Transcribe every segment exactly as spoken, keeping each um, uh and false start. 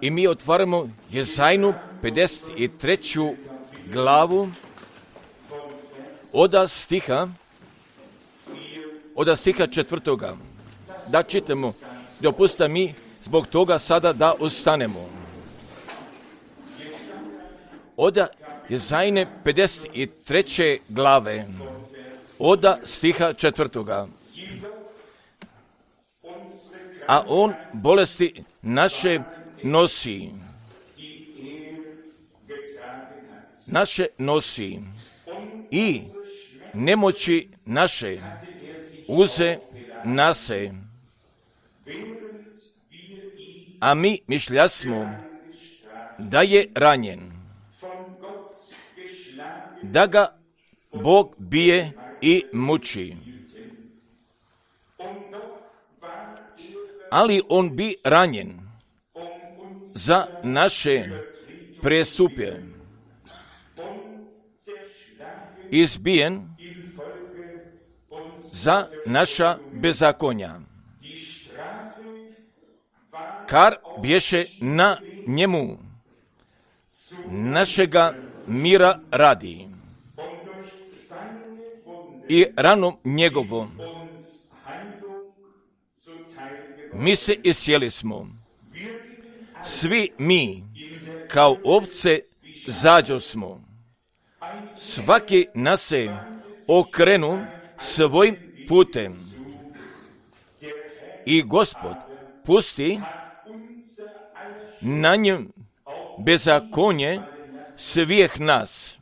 I mi otvaramo Jezajnu pedeset treću glavu od stiha, od stiha četvrtoga. Da čitamo, dopustite mi zbog toga sada da ostanemo. Od Jezajne pedeset treće glave, od stiha četvrtoga. A on bolesti naše nosi. Naše nosi. I nemoći naše uze nase. A mi mišljasmo da je ranjen, da ga Bog bije i muči. Ali on bi ranjen za naše prestupe, izbijen za naša bezakonja. Kar bješe na njemu našega mira radi. I ranom njegovom mi se iscijeli smo. Svi mi kao ovce zađo smo. Svaki nas se okrenu svojim putem. I Gospod pusti na njem bezakonje svih nas.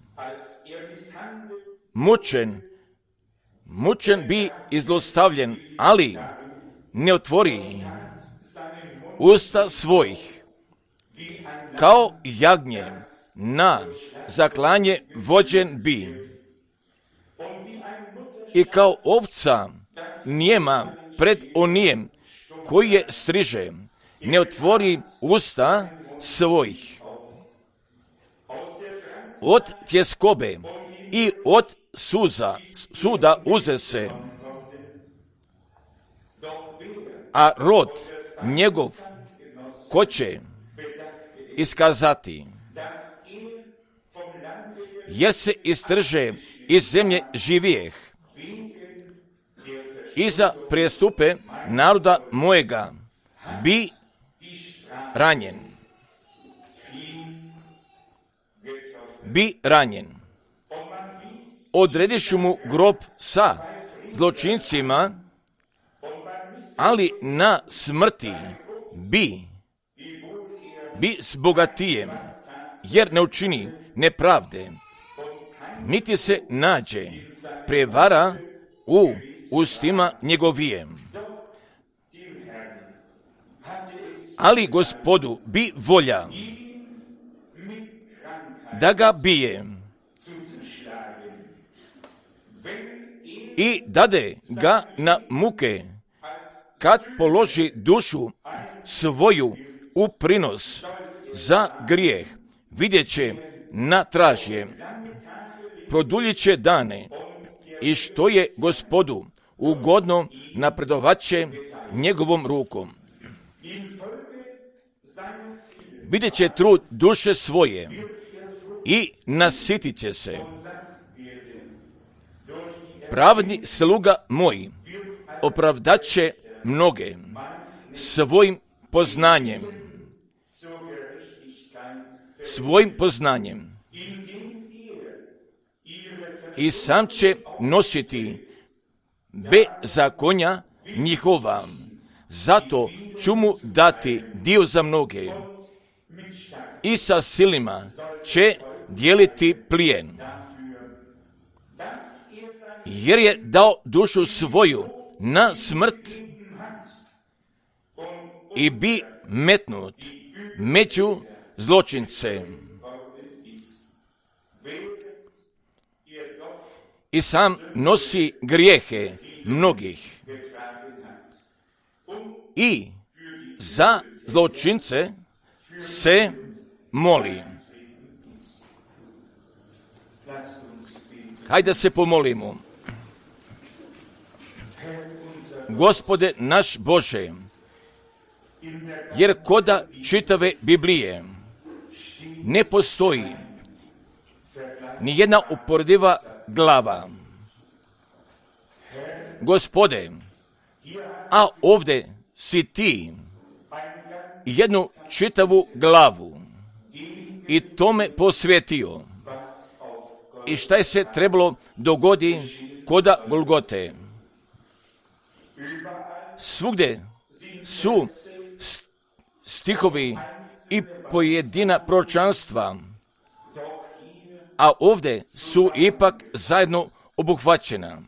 Mučen, mučen bi i zlostavljen, ali ne otvori usta svojih. Kao jagnje na zaklanje vođen bi. I kao ovca nijema pred onijem koji je striže, ne otvori usta svojih. Od tjeskobe i od suza, suda uze se, a rod njegov ko će iskazati, jer se istrže iz zemlje živijeh i za prestupe naroda mojega bi ranjen. Bi ranjen. Odredišu mu grob sa zločincima, ali na smrti bi, bi s bogatijem, jer ne učini nepravde, niti se nađe prevara u ustima njegovijem. Ali Gospodu bi volja da ga bije i dade ga na muke, kad položi dušu svoju u prinos za grijeh, vidjet će na tražje, produljit će dane i što je Gospodu ugodno napredovat će njegovom rukom. Vidjet će trud duše svoje i nasitit će se. Pravedni sluga moj opravdat će mnoge svojim poznanjem. Svojim poznanjem. I sam će nositi bezakonja njihova. Zato ću mu dati dio za mnoge. I sa silima će dijeliti plijen. Jer je dao dušu svoju na smrt i bi metnut među zločince. I sam nosi grijehe mnogih. I za zločince se moli. Hajde se pomolimo. Gospode naš Bože, jer koda čitave Biblije ne postoji ni jedna uporediva glava. Gospode, a ovdje si ti jednu čitavu glavu i tome posvetio. I šta je se trebalo dogodi koda Golgote? Svugdje su stihovi i pojedina proročanstva, a ovdje su ipak zajedno obuhvaćena.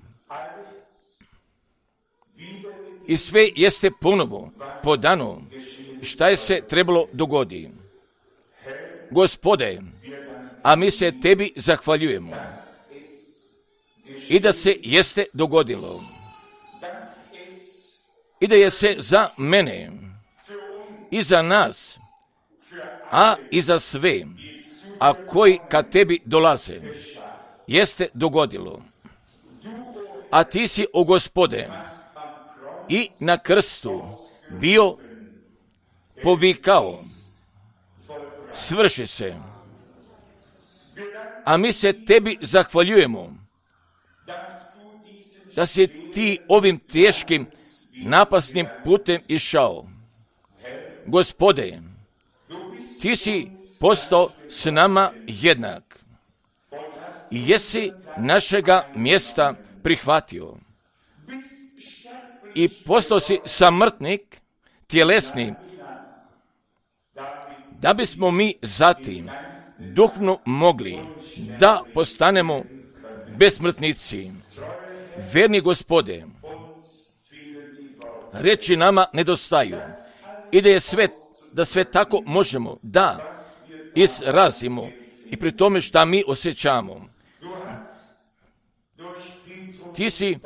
I sve jeste ponovo podano šta je se trebalo dogodi. Gospode, a mi se tebi zahvaljujemo i da se jeste dogodilo i da je se za mene i za nas, a i za sve, a koji kad tebi dolaze, jeste dogodilo. A ti si, o Gospode, i na krstu bio povikao, svrši se. A mi se tebi zahvaljujemo da si ti ovim teškim napasnim putem išao. Gospode, ti si postao s nama jednak i jesi našega mjesta prihvatio i postao si samrtnik tjelesni, da bismo mi zatim duhovno mogli da postanemo besmrtnici. Verni Gospode, reči nama nedostaju i da je sve, da sve tako možemo da izrazimo i pri tome šta mi osjećamo. Ti si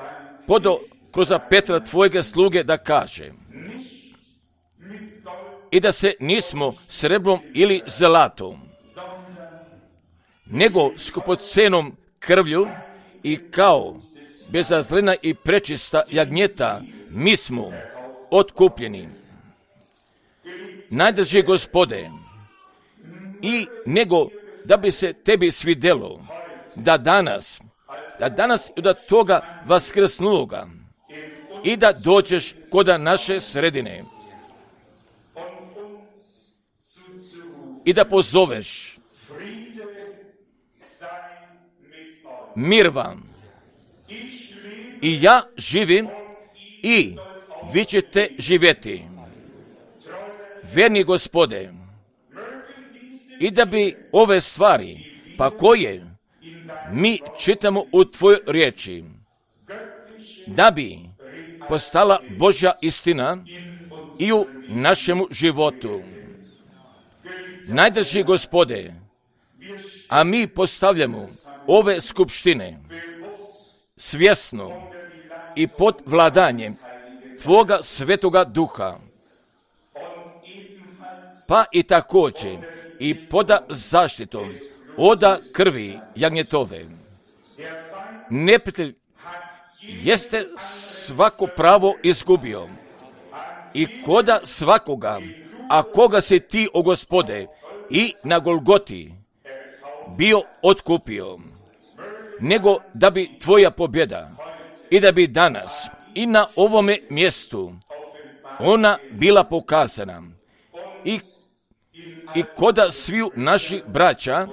podao kroz Petra tvojega sluge da kaže i da se nismo sreblom ili zlatom, nego skupocenom krvlju i kao bezazlena i prečista jagnjeta mi smo otkupljeni. Najdrži Gospode, i nego da bi se tebi svidelo da danas, da danas i od toga vaskrsnuloga i da dođeš koda naše sredine i da pozoveš mir vam. I ja živim i vi ćete živjeti. Verni Gospode, i da bi ove stvari, pa koje mi čitamo u tvojoj riječi, da bi postala Božja istina i u našemu životu. Najdrži Gospode, a mi postavljamo ove skupštine svjesno i pod vladanjem Tvoga Svetoga Duha, pa i također i poda zaštitom oda krvi jagnjetove. Neprijatelj jeste svako pravo izgubio i koda svakoga, a koga si ti, o Gospode, i na Golgoti bio otkupio, nego da bi tvoja pobjeda i da bi danas i na ovome mjestu ona bila pokazana i, i koda sviju naših braća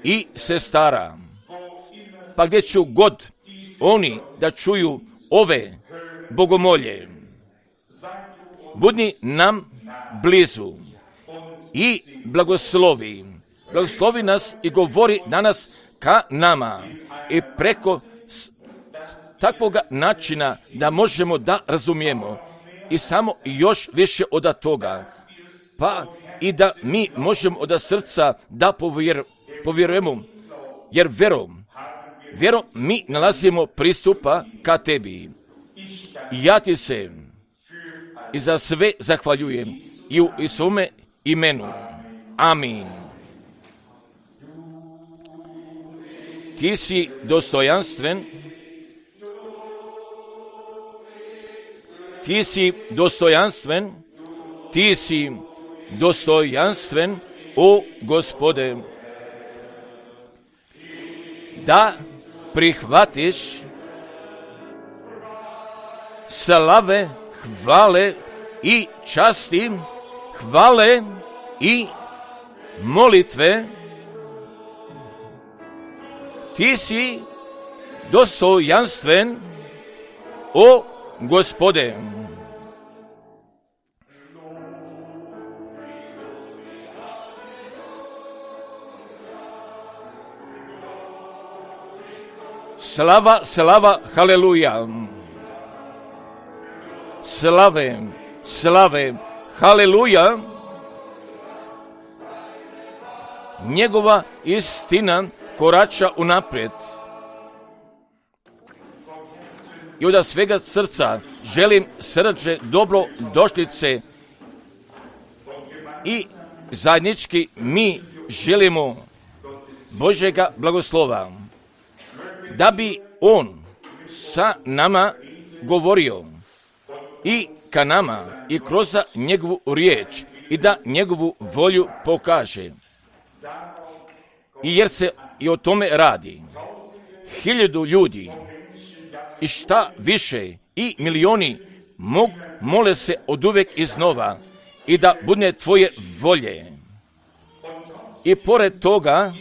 i sestara, pa gdje ću god oni da čuju ove bogomolje, budni nam blizu i blagoslovi, blagoslovi nas i govori danas ka nama i preko takvog načina da možemo da razumijemo i samo još više od toga, pa i da mi možemo od srca da povjer, povjerujemo, jer verom, verom mi nalazimo pristupa ka tebi. I ja ti se i za sve zahvaljujem i u svome imenu. Amin. Ti si dostojanstven, ti si dostojanstven ti si dostojanstven, o Gospode, da prihvatiš slave, hvale i časti, hvale i molitve. Ti si dostojanstven, o Gospode. Slava, slava, haleluja. Slave, slave, haleluja. Njegova istina korača unaprijed. I od svega srca želim srdačne dobro došlice i zajednički mi želimo Božjega blagoslova, da bi On sa nama govorio i ka nama i kroz njegovu riječ i da njegovu volju pokaže. I jer se i o tome radi. Hiljadu ljudi i šta više i milioni mog, mole se od uvek iznova i da bude tvoje volje. I pored toga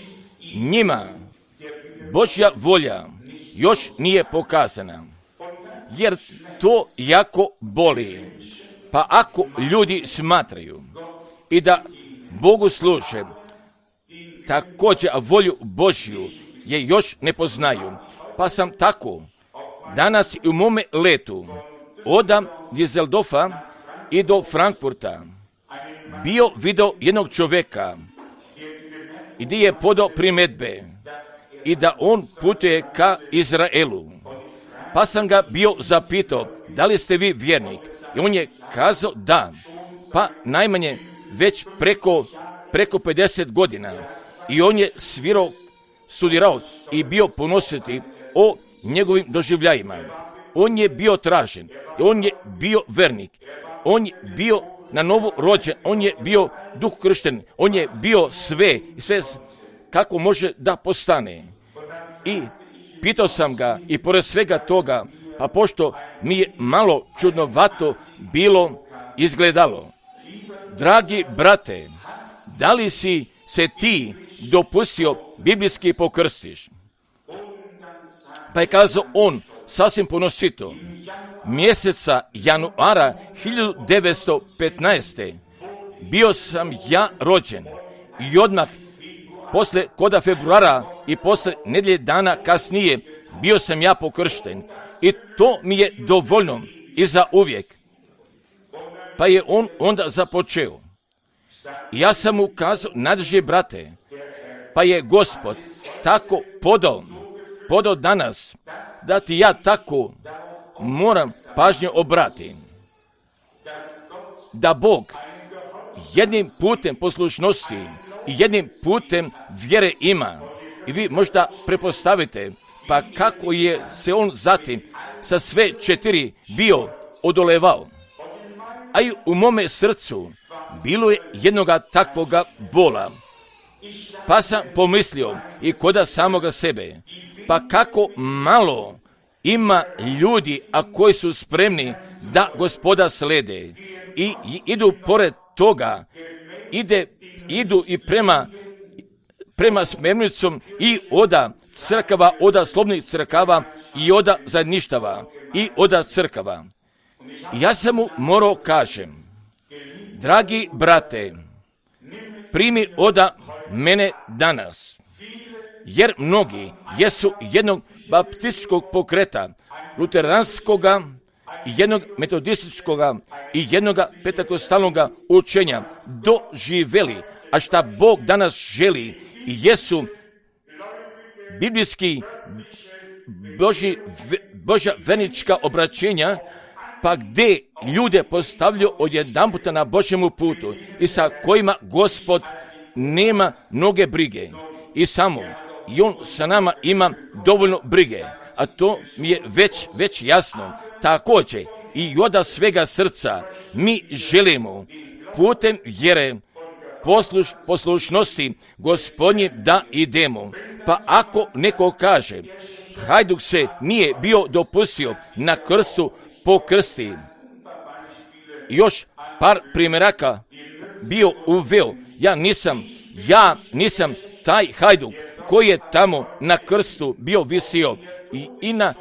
njima Božja volja još nije pokazana, jer to jako boli. Pa ako ljudi smatraju i da Bogu služe, također volju Božju je još ne poznaju. Pa sam tako danas i u mome letu od Düsseldorfa i do Frankfurta bio video jednog čovjeka i gdje je podao primjedbe i da on putuje ka Izraelu. Pa sam ga bio zapitao, da li ste vi vjernik? I on je kazao da, pa najmanje već preko, preko pedeset godina. I on je svirao, studirao i bio ponositi o njegovim doživljajima. On je bio tražen, on je bio vernik, on je bio na novo rođen, on je bio duh kršten, on je bio sve, sve kako može da postane. I pitao sam ga i pored svega toga, pa pošto mi je malo čudnovato bilo izgledalo. Dragi brate, da li si se ti dopustio biblijski pokrstiš? Pa je kazao on sasvim ponosito, mjeseca januara hiljadu devetsto petnaeste. bio sam ja rođen i odmah posle koda februara i posle nedjelje dana kasnije bio sam ja pokršten i to mi je dovoljno i za uvijek. Pa je on onda započeo. Ja sam mu kazao, nadrži brate, pa je Gospod tako podao, podao danas, da ti ja tako moram pažnju obrati. Da Bog jednim putem poslušnosti i jednim putem vjere ima. I vi možda prepostavite, pa kako je se on zatim sa sve četiri bio odolevao. A i u mome srcu bilo je jednoga takvoga bola. Pa sam pomislio i koda samoga sebe, pa kako malo ima ljudi, a koji su spremni da Gospoda slede i idu pored toga, ide, idu i prema, prema smjernicom i oda crkava, oda slobodnih crkava i oda zajedništava i oda crkava. Ja sam mu morao kažem, dragi brate, primi oda mene danas, jer mnogi jesu jednog baptističkog pokreta, luteranskoga, jednog metodističkoga i jednog pentekostalnog učenja doživjeli, a šta Bog danas želi jesu biblijski Boži, Božja vernička obraćenja, pa gdje ljude postavljaju odjedanputa na Božjemu putu i sa kojima Gospod nema mnoge brige i samo i on sa nama ima dovoljno brige, a to mi je već, već jasno. Također i od svega srca mi želimo putem vjere, posluš, poslušnosti Gospodnje da idemo. Pa ako neko kaže, Hajduk se nije bio dopustio na krstu pokrsti, još par primjeraka bio uveo. Ja nisam, ja nisam taj Hajduk koji je tamo na krstu bio visio i, i, na,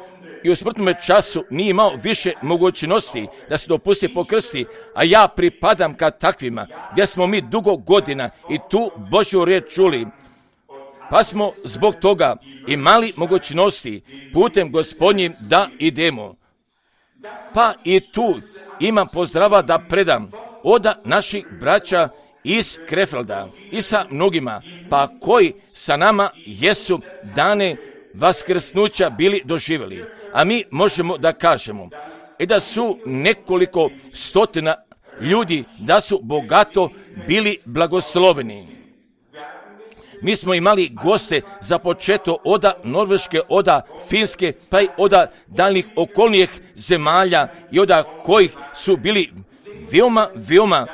i u smrtnom času nije imao više mogućnosti da se dopusti po krsti, a ja pripadam ka takvima, gdje smo mi dugo godina i tu Božju riječ čuli, pa smo zbog toga imali mogućnosti putem Gospodnjim da idemo. Pa i tu imam pozdrava da predam od naših braća iz Krefelda i sa mnogima, pa koji sa nama jesu dane vaskrsnuća bili doživjeli. A mi možemo da kažemo i da su nekoliko stotina ljudi da su bogato bili blagosloveni. Mi smo imali goste za početo oda Norveške, oda Finske, pa i oda daljnih okolnijih zemalja i oda kojih su bili veoma, veoma,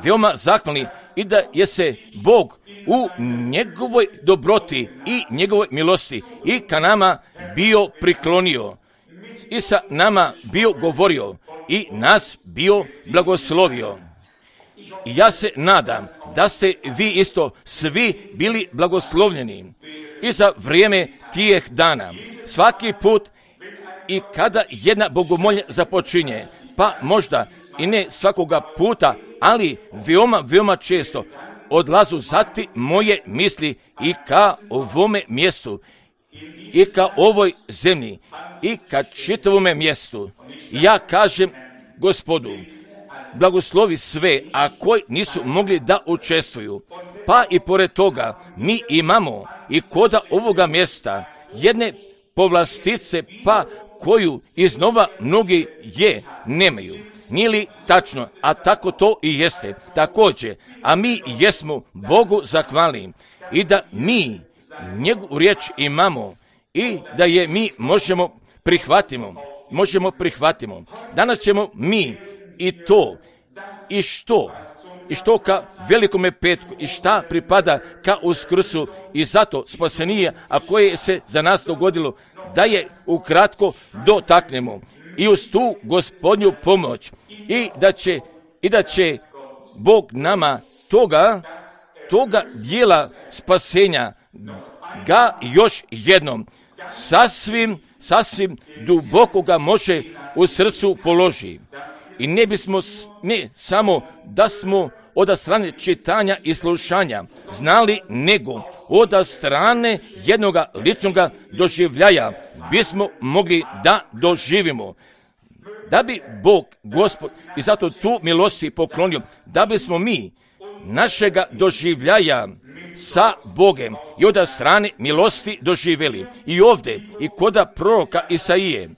veoma zahvalni i da je se Bog u njegovoj dobroti i njegovoj milosti i ka nama bio priklonio i sa nama bio govorio i nas bio blagoslovio. I ja se nadam da ste vi isto svi bili blagoslovljeni i za vrijeme tijeh dana. Svaki put i kada jedna bogomolja započinje, pa možda i ne svakoga puta, ali veoma, veoma često odlazu zati moje misli i ka ovome mjestu i ka ovoj zemlji i ka čitavome mjestu. I ja kažem Gospodu, blagoslovi sve, a koji nisu mogli da učestvuju. Pa i pored toga mi imamo i koda ovoga mjesta jedne povlastice, pa koju iznova mnogi je nemaju. Nije li tačno? A tako to i jeste. Također, a mi jesmo Bogu zahvalni i da mi njegovu riječ imamo i da je mi možemo prihvatimo. Možemo prihvatimo. Danas ćemo mi i to, i što, i što ka velikome petku, i šta pripada ka uskrsu i zato spasenije, a koje se za nas dogodilo, da je ukratko dotaknemo i uz tu Gospodnju pomoć i da će, i da će Bog nama toga, toga dijela spasenja ga još jednom sasvim, sasvim duboko ga može u srcu položi. I ne bismo, ne samo da smo od strane čitanja i slušanja znali, nego od strane jednoga ličnoga doživljaja bismo mogli da doživimo. Da bi Bog, Gospod, i zato tu milosti poklonio, da bismo mi našega doživljaja sa Bogem i od strane milosti doživjeli. I ovdje, i koda proroka Isaije,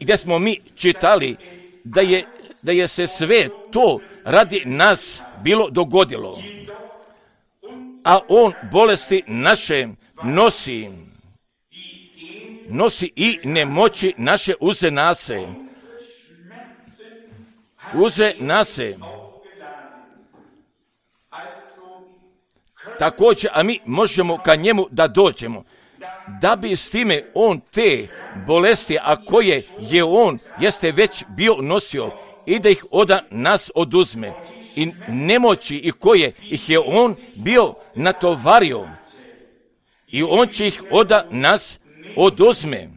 gdje smo mi čitali da je, da je se sve to radi nas bilo dogodilo. A on bolesti naše nosi, nosi i nemoći naše uze nase. Uze nase. Također, a mi možemo ka njemu da dođemo, da bi s time on te bolesti, a koje je on jeste već bio nosio, i da ih od nas oduzme. I nemoći i koje ih je on bio natovario. I on će ih od nas oduzme.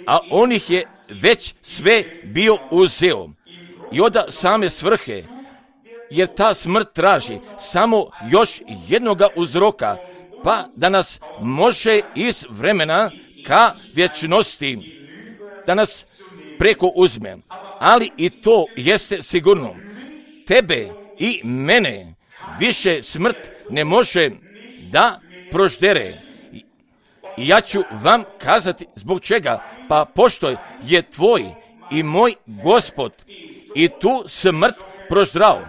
A on ih je već sve bio uzeo. I od same svrhe, jer ta smrt traži samo još jednoga uzroka, pa da nas može iz vremena ka vječnosti, da nas preko uzme. Ali i to jeste sigurno. Tebe i mene više smrt ne može da proždere. I ja ću vam kazati zbog čega. Pa pošto je tvoj i moj Gospod i tu smrt proždrao.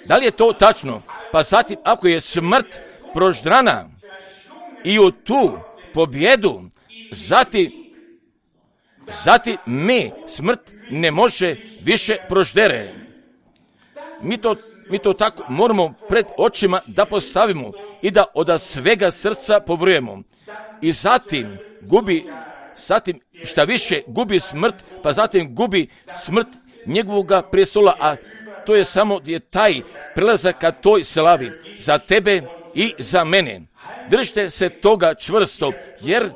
Da li je to tačno? Pa zatim, ako je smrt proždrana i u tu pobjedu, zatim, zatim me smrt ne može više proždere. Mi to, mi to tako moramo pred očima da postavimo i da od svega srca povrujemo. I zatim gubi, zatim šta više gubi smrt, pa zatim gubi smrt njegovoga prestola, a to je samo je taj prelazak ka toj slavi za tebe i za mene. Držite se toga čvrsto, jer,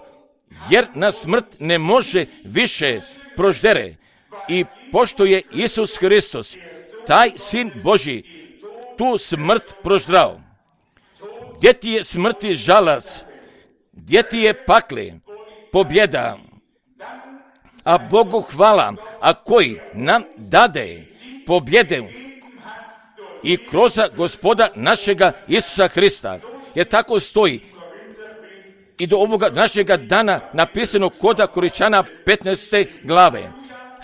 jer na smrt ne može više proždere. I pošto je Isus Hristos, taj Sin Božji, tu smrt proždrao. Gdje ti je smrti žalac? Gdje ti je pakle? Pobjeda. A Bogu hvala, a koji nam dade pobjede i kroz Gospoda našega Isusa Hrista. Jer tako stoji i do ovoga našega dana napisano kod Koričana petnaeste glave.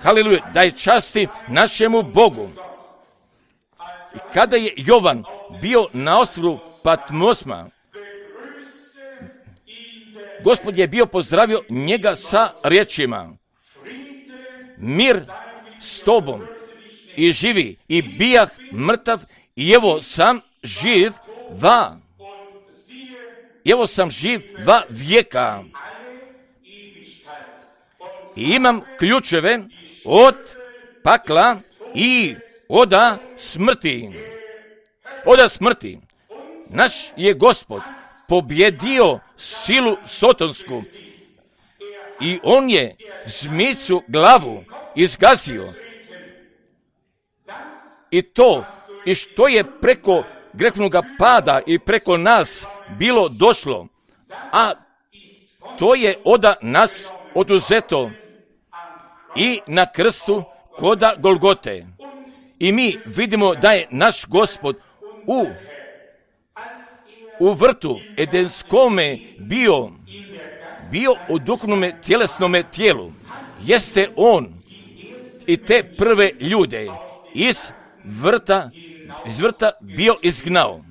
Haleluja, daj časti našemu Bogu. I kada je Jovan bio na ostrvu Patmosma, Gospod je bio pozdravio njega sa riječima: mir s tobom, i živi, i bijah mrtav, i evo sam živ va, evo sam živ va vijeka. I imam ključeve od pakla i oda smrti. Oda smrti. Naš je Gospod pobjedio silu sotonsku i on je zmicu glavu izgasio. I to, i što je preko grehovnoga pada i preko nas bilo došlo, a to je oda nas oduzeto i na krstu koda Golgote. I mi vidimo da je naš Gospod u, u vrtu Edenskome bio, bio u duhovnome tjelesnome tijelu. Jeste on i te prve ljude iz vrta, iz vrta bio izgnao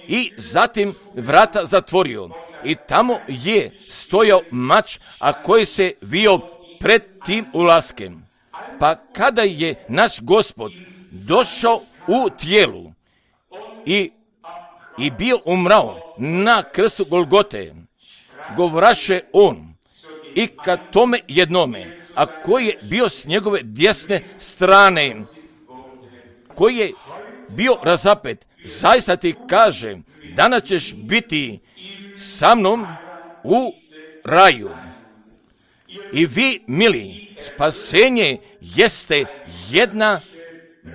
i zatim vrata zatvorio. I tamo je stojao mač, a koji se vio pred tim ulaskem. Pa kada je naš Gospod došao u tijelu i, i bio umrao na krstu Golgote, govoraše on i ka tome jednome, a koji je bio s njegove desne strane, koji je bio razapet, zaista ti kaže, danas ćeš biti sa mnom u raju. I vi, mili, spasenje jeste jedna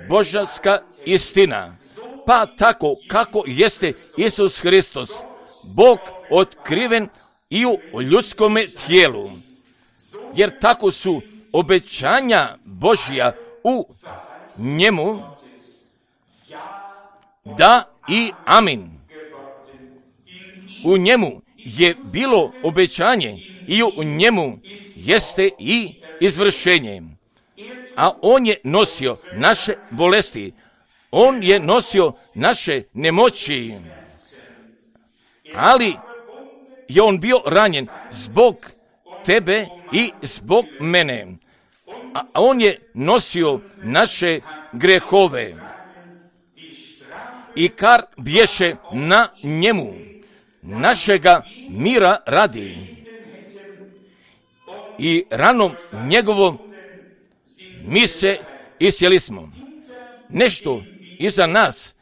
božanska istina. Pa tako kako jeste Isus Hristos, Bog otkriven i u ljudskome tijelu. Jer tako su obećanja Božja u njemu, da i amin. U njemu je bilo obećanje i u njemu jeste i izvršenje. A on je nosio naše bolesti, on je nosio naše nemoći, ali je on bio ranjen zbog tebe i zbog mene. A on je nosio naše grehove. I kar bješe na njemu, našega mira radi. I ranom njegovom mi se isjeli smo. Nešto iza nas,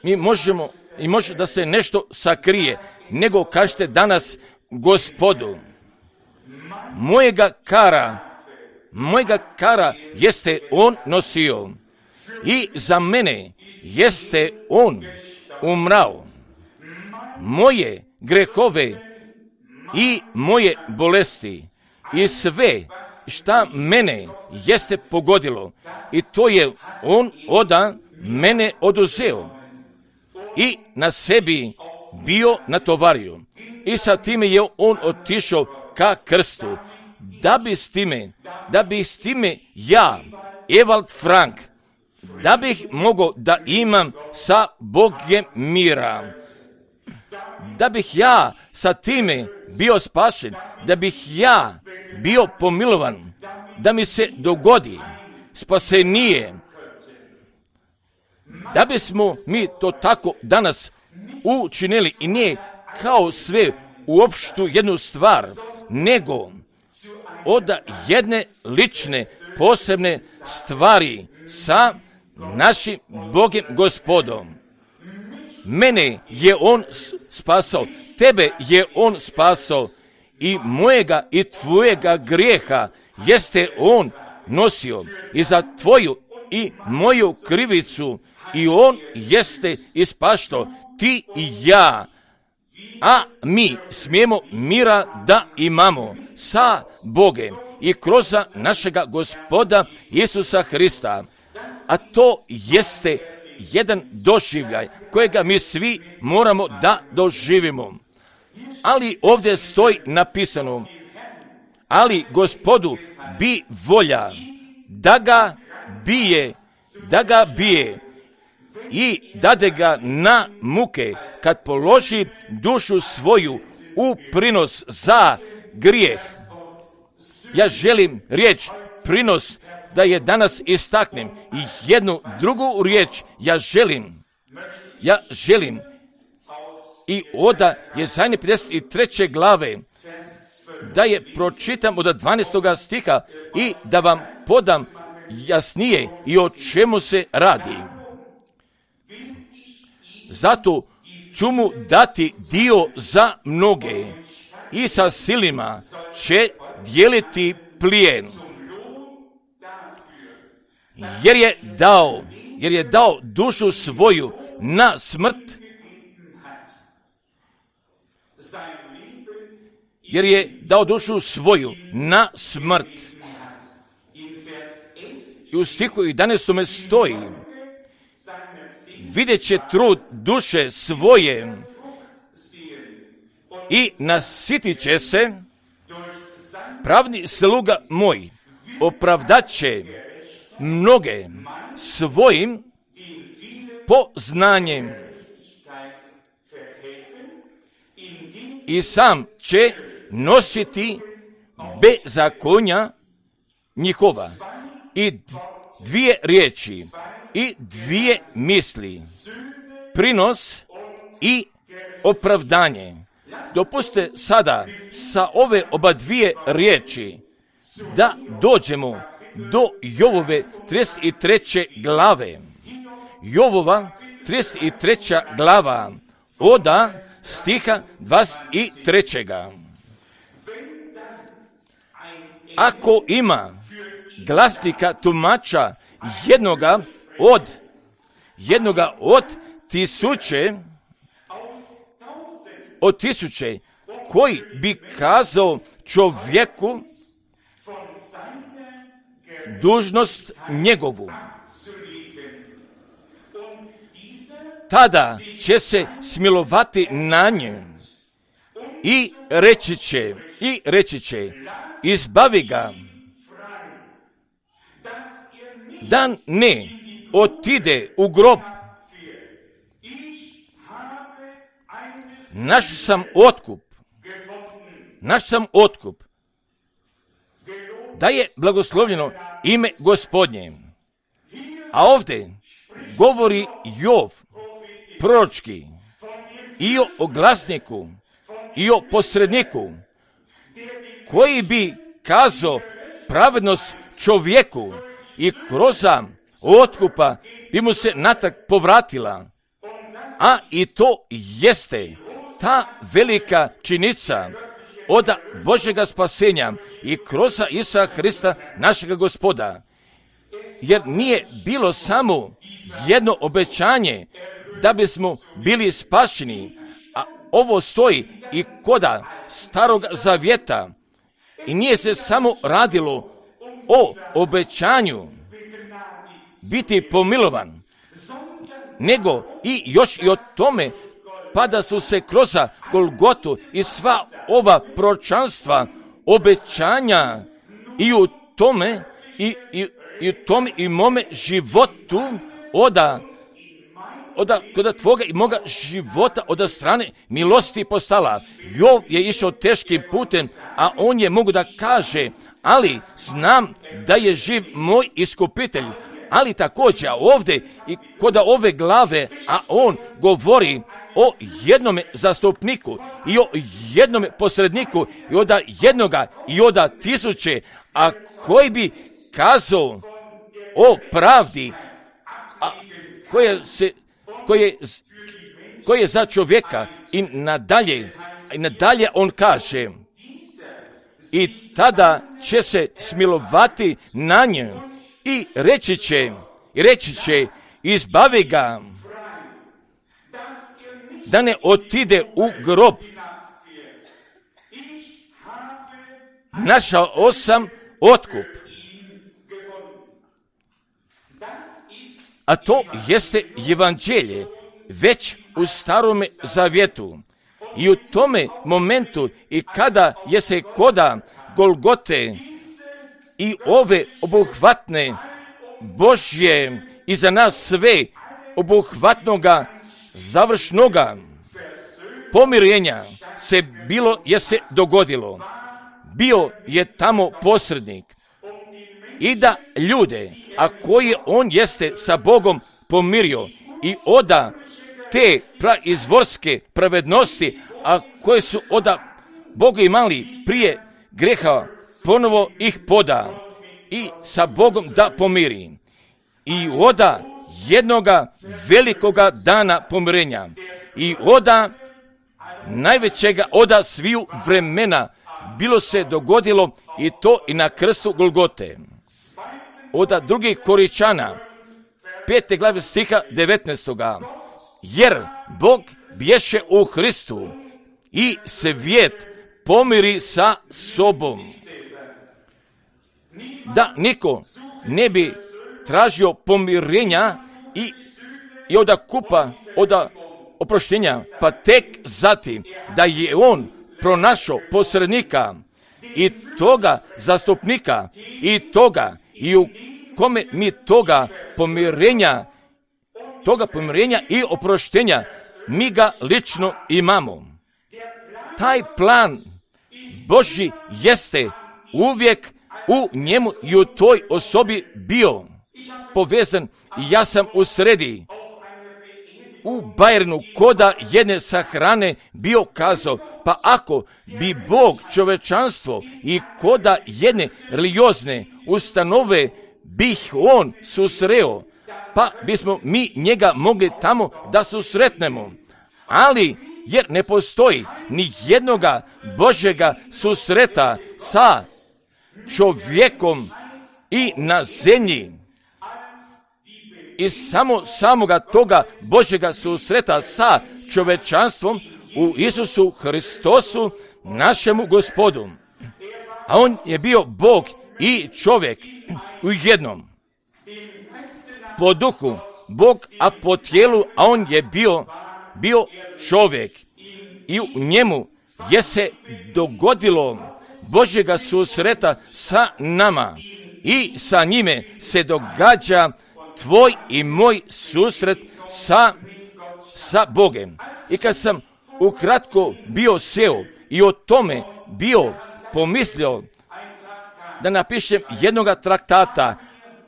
mi možemo, i može da se nešto sakrije, nego kažete danas Gospodu, mojega kara, mojega kara jeste on nosio i za mene jeste on umrao. Moje grehove i moje bolesti i sve šta mene jeste pogodilo, i to je on oda mene oduzeo i na sebi bio natovario. I sa time je on otišao ka krstu, da bi s time, da bi s time ja, Evald Frank, da bih mogao da imam sa Bogom mira, da bih ja sa time bio spašen, da bih ja bio pomilovan, da mi se dogodi spasenije. Da bismo mi to tako danas učinili i nije kao sve u opštu jednu stvar, nego od jedne lične, posebne stvari sa našim Bogom Gospodom. Mene je On spasao, tebe je On spasao i mojega i tvojega grijeha jeste On nosio i za tvoju i moju krivicu i On jeste ispašto, ti i ja, a mi smijemo mira da imamo sa Bogem i kroz našega Gospoda Isusa Hrista. A to jeste jedan doživljaj kojega mi svi moramo da doživimo. Ali ovdje stoji napisano, ali Gospodu bi volja da ga bije, da ga bije i dade ga na muke kad položi dušu svoju u prinos za grijeh. Ja želim riječ prinos da je danas istaknem i jednu drugu riječ ja želim. Ja želim i oda Jezajne pedeset treće glave da je pročitam od dvanaestog stiha i da vam podam jasnije i o čemu se radi. Zato ću mu dati dio za mnoge i sa silima će dijeliti plijen. Jer je dao, jer je dao dušu svoju na smrt, jer je dao dušu svoju na smrt. I u stihu jedanaestom stoji, vidjet će trud duše svoje i nasitit će se, pravni sluga moj opravdat će mnoge svojim poznanjem i sam će nositi bezakonja njihova. I dvije riječi i dvije misli, prinos i opravdanje. Dopustite sada sa ove oba dvije riječi da dođemo do Jovove trideset treće glave. Jovova trideset treća glava oda stiha dvadeset trećeg. Ako ima glasnika tumača jednoga od jednoga od tisuće od tisuće koji bi kazao čovjeku dužnost njegovu, tada će se smilovati na nje i reći će i reći će izbavi ga da ne otide u grob. Naš sam otkup, naš sam otkup, da je blagoslovljeno ime Gospodnje. A ovdje govori Jov proročki i o oglasniku i o posredniku koji bi kazao pravednost čovjeku i kroz otkupa bi mu se natrag povratila. A i to jeste ta velika činica od Božjega spasenja i kroz Isusa Hrista našega Gospoda. Jer nije bilo samo jedno obećanje da bismo bili spašeni, a ovo stoji i koda Starog Zavjeta i nije se samo radilo o obećanju biti pomilovan, nego i još i o tome pa da su se kroz Golgotu i sva ova proročanstva, obećanja i u tome i, i, i u tome i mome životu oda oda, oda tvoga i moga života od strane milosti postala. Jov je išao teškim putem, a on je mogu da kaže, ali znam da je živ moj iskupitelj, Ali također ovdje i kod ove glave, a on govori o jednome zastupniku i o jednome posredniku i od jednoga i od tisuće, a koji bi kazao o pravdi, a koje se, koje, koje je za čovjeka i nadalje, i nadalje on kaže, i tada će se smilovati na nje i reći će, i reći će, izbavi ga, da ne otide u grob. Našao sam otkup. A to jeste evanđelje već u Starome Zavjetu. I u tome momentu i kada je se koda Golgote i ove obuhvatne Božje i za nas sve obuhvatnoga završnoga pomirenja se bilo je se dogodilo. Bio je tamo posrednik i da ljude, a koje on jeste sa Bogom pomirio i oda te praizvorske pravednosti, a koje su oda Boga imali prije greha, ponovo ih poda i sa Bogom da pomiri. I oda jednoga velikoga dana pomirenja i oda najvećega oda sviju vremena bilo se dogodilo i to i na krstu Golgote. Oda drugih Koričana, pete glave stiha devetnaestoga. Jer Bog bješe u Hristu i svijet pomiri sa sobom. Da niko ne bi tražio pomirenja i, i oda kupa, oda oproštenja, pa tek zatim da je on pronašao posrednika i toga zastupnika i toga i u kome mi toga pomirenja, toga pomirenja i oproštenja mi ga lično imamo. Taj plan Božji jeste uvijek u njemu i u toj osobi bio povezan i ja sam u sredi u Bajernu koda jedne sahrane bio kazao, pa ako bi Bog čovečanstvo i koda jedne religiozne ustanove bih on susreo, pa bismo mi njega mogli tamo da susretnemo. Ali jer ne postoji ni jednoga Božjega susreta sa čovjekom i na zemlji. I samo samoga toga Božjega susreta sa čovečanstvom u Isusu Hristosu, našemu Gospodu. A on je bio Bog i čovjek u jednom. Po duhu Bog, a po tijelu, a on je bio, bio čovjek. I u njemu je se dogodilo Božjega susreta sa nama. I sa njime se događa tvoj i moj susret sa, sa Bogem. I kad sam ukratko bio seo i o tome bio pomislio da napišem jednoga traktata,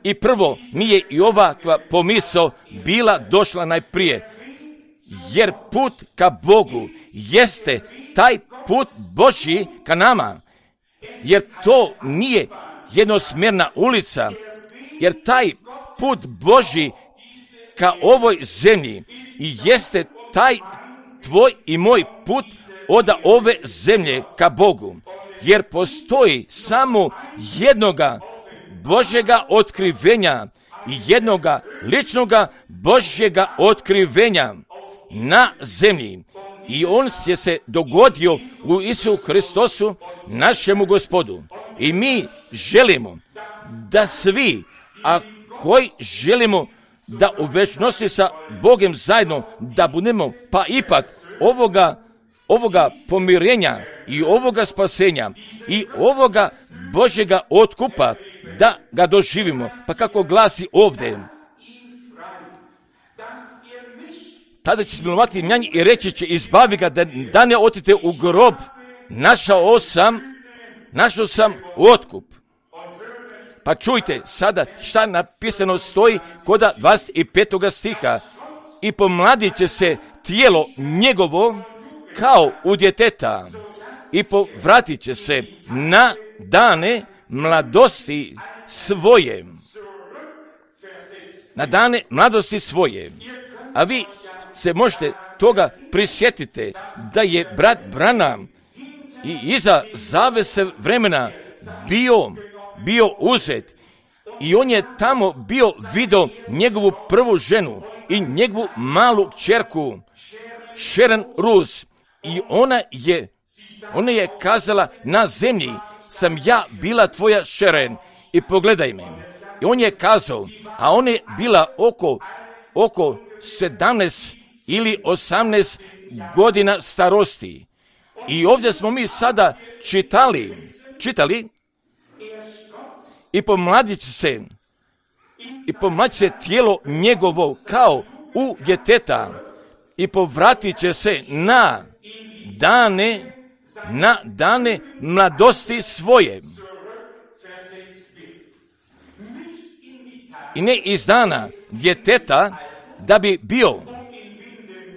i prvo mi je i ovakva pomisao bila došla najprije, jer put ka Bogu jeste taj put Božji ka nama, jer to nije jednosmjerna ulica, jer taj put Božji ka ovoj zemlji i jeste taj tvoj i moj put od ove zemlje ka Bogu, jer postoji samo jednoga Božjega otkrivenja i jednoga ličnoga Božjega otkrivenja na zemlji. I on je se dogodio u Isusu Hristosu, našemu Gospodu. I mi želimo da svi, a koji želimo da u večnosti sa Bogom zajedno da budemo, pa ipak ovoga, ovoga pomirenja i ovoga spasenja i ovoga Božjega otkupa da ga doživimo. Pa kako glasi ovdje, tada će smilovati na njih i reći će, izbavi ga da, da ne otite u grob. Našao sam, našao sam otkup. Pa čujte sada šta napisano stoji kod dvadeset petog stiha. I pomladit će se tijelo njegovo kao u djeteta i povratit će se na dane mladosti svoje. Na dane mladosti svoje. A vi se možete toga prisjetiti da je brat Branham i iza zavese vremena bio, bio uzet i on je tamo bio vidio njegovu prvu ženu i njegovu malu kćerku Sharon Rus i ona je, ona je kazala na zemlji sam ja bila tvoja Sharon i pogledaj me. I on je kazao, a ona je bila oko, oko sedamnaest ili osamnaest godina starosti. I ovdje smo mi sada čitali, čitali i pomladit će se, i pomladit se tijelo njegovo kao u djeteta i povratit će se na dane, na dane mladosti svoje. I ne iz dana djeteta da bi bio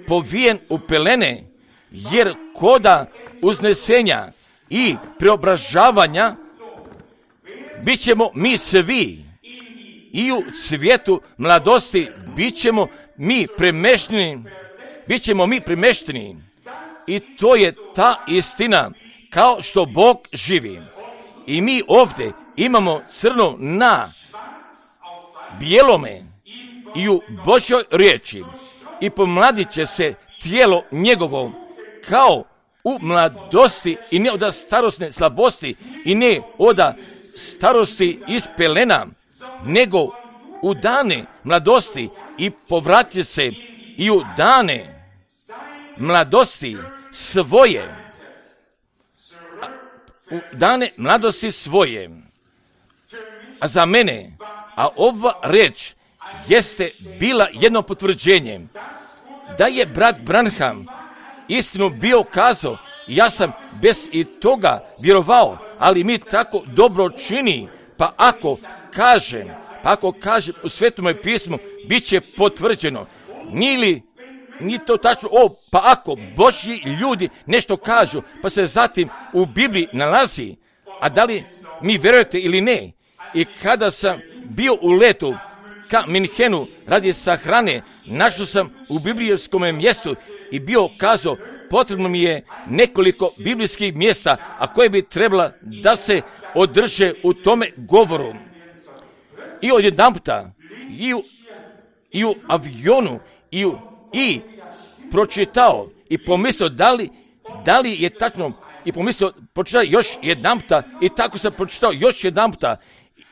povijen u pelene, jer koda uznesenja i preobražavanja bit ćemo mi svi i u svijetu mladosti bit ćemo mi premešteni, bit ćemo mi premešteni. I to je ta istina, kao što Bog živi. I mi ovdje imamo crno na bijelome i u Božjoj riječi. I pomladit će se tijelo njegovo kao u mladosti i ne od starosne slabosti i ne od starosti iz pelena, nego u dane mladosti i povratit se i u dane mladosti svoje. U dane mladosti svoje. A za mene, a ova reč jeste bila jedno potvrđenje da je brat Branham istinu bio kazao. Ja sam bez i toga vjerovao, ali mi tako dobro čini, pa ako kažem, pa ako kažem u Svetome pismu, bit će potvrđeno. Nije li, nije to tačno, o, pa ako Božji ljudi nešto kažu, pa se zatim u Bibliji nalazi, a da li mi vjerujete ili ne? I kada sam bio u letu ka Minhenu radi sahrane, našao sam u biblijskom mjestu i bio kazao, potrebno mi je nekoliko biblijskih mjesta, a koje bi trebala da se održe u tome govoru. I odjedanputa, i u, i u avionu, i, u, i pročitao, i pomislio da li, da li je tačno, i pomislio, pročitao još jedanputa, i tako sam pročitao još jedanputa,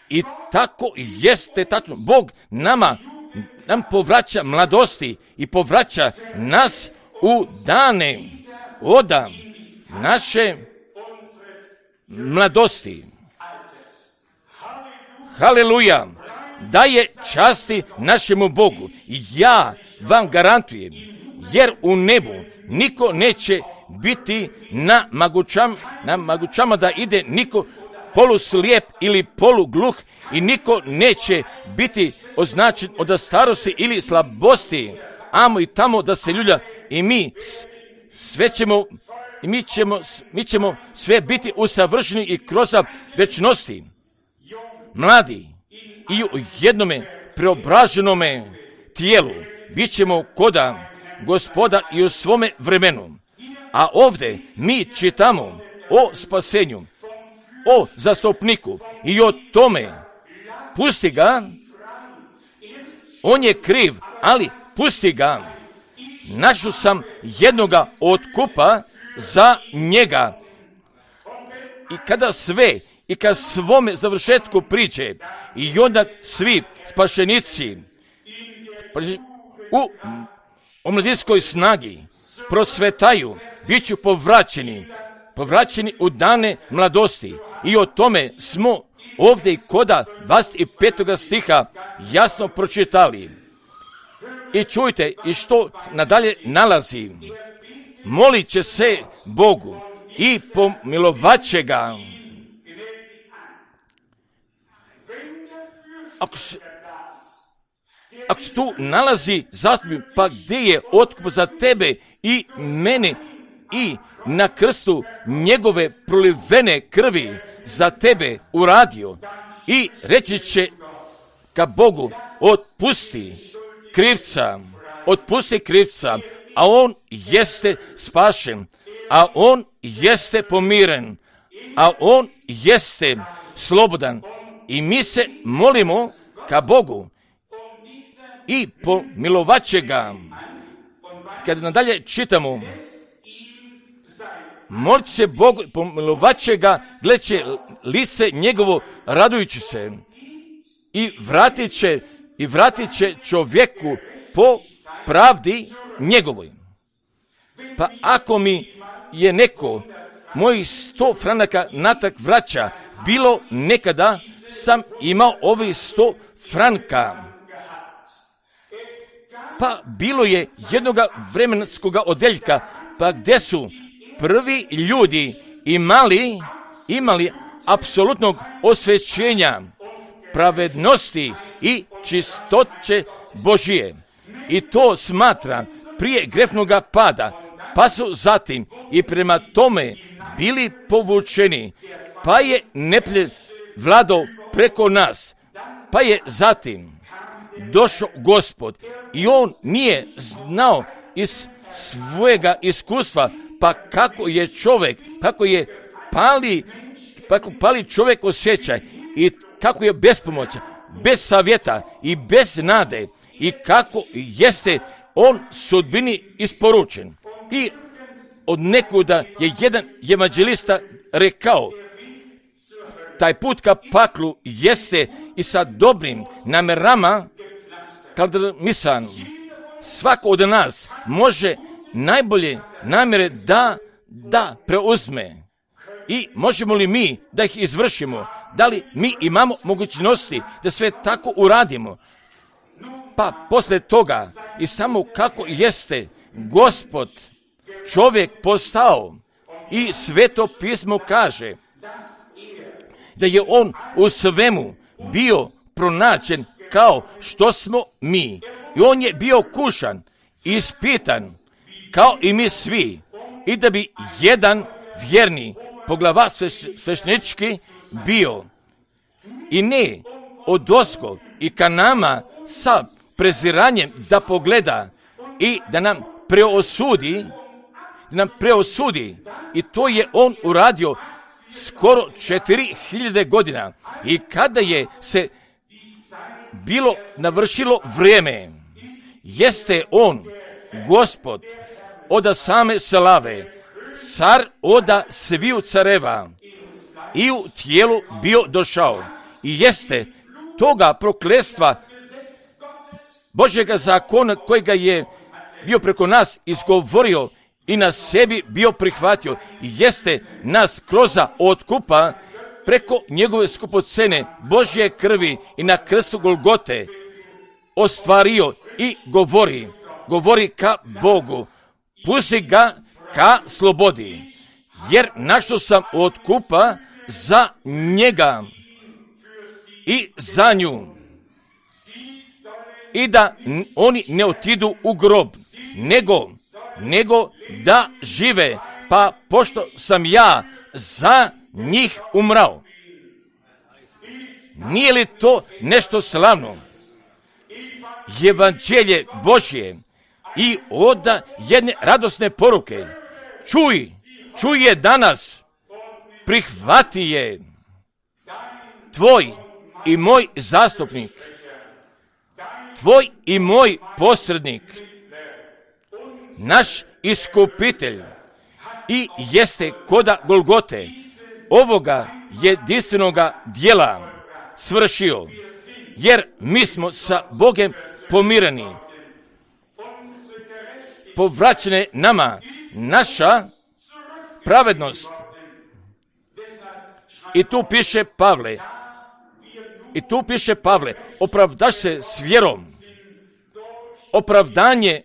i tako jeste tačno. Bog nama, nam povraća mladosti i povraća nas u dane oda naše mladosti. Haleluja! Daje časti našemu Bogu. Ja vam garantujem, jer u nebu niko neće biti na magućama, na magućama da ide niko poluslijep ili polugluh i niko neće biti označen od starosti ili slabosti. Amo i tamo da se ljulja i mi sve ćemo, i mi ćemo, mi ćemo sve biti usavršeni i kroz večnosti. Mladi i u jednome preobraženome tijelu bit ćemo koda Gospoda i u svome vremenu. A ovdje mi čitamo o spasenju, o zastupniku i o tome. Pusti ga, on je kriv, ali pusti ga. Našao sam jednoga otkupa za njega. I kada sve, i kad svome završetku priče, i onda svi spašenici u omladinskoj snagi prosvetaju, bit ću povraćeni, povraćeni u dane mladosti. I o tome smo ovdje i koda dvadeset petog stiha jasno pročitali. I čujte, i što nadalje nalazi. Molit će se Bogu i pomilovat će ga. ako se, ako se tu nalazi zastupnik, pa gdje je otkup za tebe i mene i na krstu njegove prolivene krvi za tebe uradio i reći će ka Bogu, otpusti krivca, otpusti krivca, a on jeste spašen, a on jeste pomiren, a on jeste slobodan. I mi se molimo ka Bogu i pomilovat će ga. Kad nadalje čitamo, molit se Bogu, pomilovat će ga, gledat će lice njegovo radujući se i vratit će, i vratit će čovjeku po pravdi njegovoj. Pa ako mi je neko mojih sto franaka natak vraća, bilo nekada sam imao ovih sto franka. Pa bilo je jednoga vremenskoga odeljka, pa gdje su prvi ljudi imali, imali apsolutnog osvećenja, pravednosti i čistoće Božije. I to smatra prije grefnoga pada, pa su zatim i prema tome bili povučeni, pa je neprijatelj vladao preko nas, pa je zatim došao Gospod i on nije znao iz svojega iskustva, pa kako je čovjek, kako je pali, kako pali čovjek osjećaj i kako je bespomoćan, bez savjeta i bez nade i kako jeste on sudbini isporučen. I od nekuda je jedan evanđelista rekao, taj put ka paklu jeste i sa dobrim namerama kaldramisan. Svako od nas može najbolje namjere da, da preuzme. I možemo li mi da ih izvršimo? Da li mi imamo mogućnosti da sve tako uradimo? Pa posle toga i samo kako jeste Gospod čovjek postao i Sveto pismo kaže da je on u svemu bio pronađen kao što smo mi. I on je bio kušan, ispitan kao i mi svi. I da bi jedan vjerni poglava sveštenički bio. I ne odosko i ka nama sa preziranjem da pogleda i da nam preosudi, da nam preosudi. I to je on uradio skoro četiri hiljade godina. I kada je se bilo navršilo vrijeme, jeste on, Gospod, oda same slave, car oda sviju careva, i u tijelu bio došao. I jeste toga prokletstva Božjega zakona kojega je bio preko nas izgovorio i na sebi bio prihvatio. I jeste nas kroz otkupa preko njegove skupocene Božje krvi i na krstu Golgote ostvario i govori, govori ka Bogu, pusti ga ka slobodi, jer našao sam otkupa za njega i za nju. I da oni ne otidu u grob, nego, nego da žive, pa pošto sam ja za njih umrao. Nije li to nešto slavno? Evanđelje Božje i oda jedne radosne poruke. Čuj, čuj je danas, prihvati je. Tvoj i moj zastupnik, tvoj i moj posrednik, naš iskupitelj i jeste koda Golgote ovoga jedinstvenoga dijela svršio, jer mi smo sa Bogem pomireni. Povraćene nama naša pravednost. I tu piše Pavle, i tu piše Pavle, opravdaš se s vjerom. Opravdanje,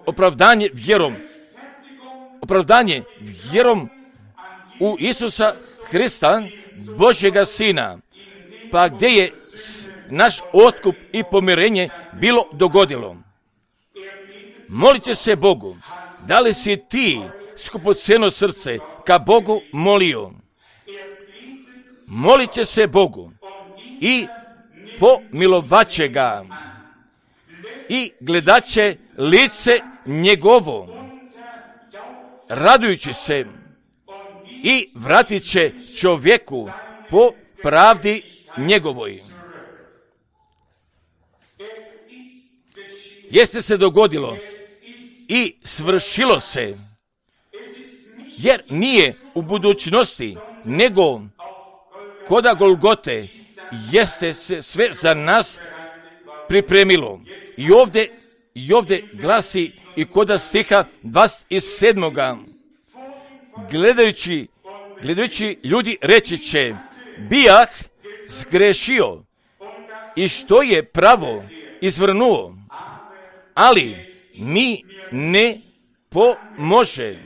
opravdanje vjerom. Opravdanje vjerom u Isusa Hrista, Božjega Sina. Pa gdje je naš otkup i pomirenje bilo dogodilo. Molit će se Bogu. Da li si ti skupocjeno srce ka Bogu molio? Molit će se Bogu i pomilovaće ga i gledat će lice njegovo, radujući se, i vratit će čovjeku po pravdi njegovoj. Jeste se dogodilo i svršilo se, jer nije u budućnosti, nego koda Golgote jeste se sve za nas pripremilo. I ovdje, i ovdje glasi i koda stiha dvadeset sedam. Gledajući, gledajući ljudi reći će, bijah zgrešio i što je pravo izvrnuo, ali mi ne pomože.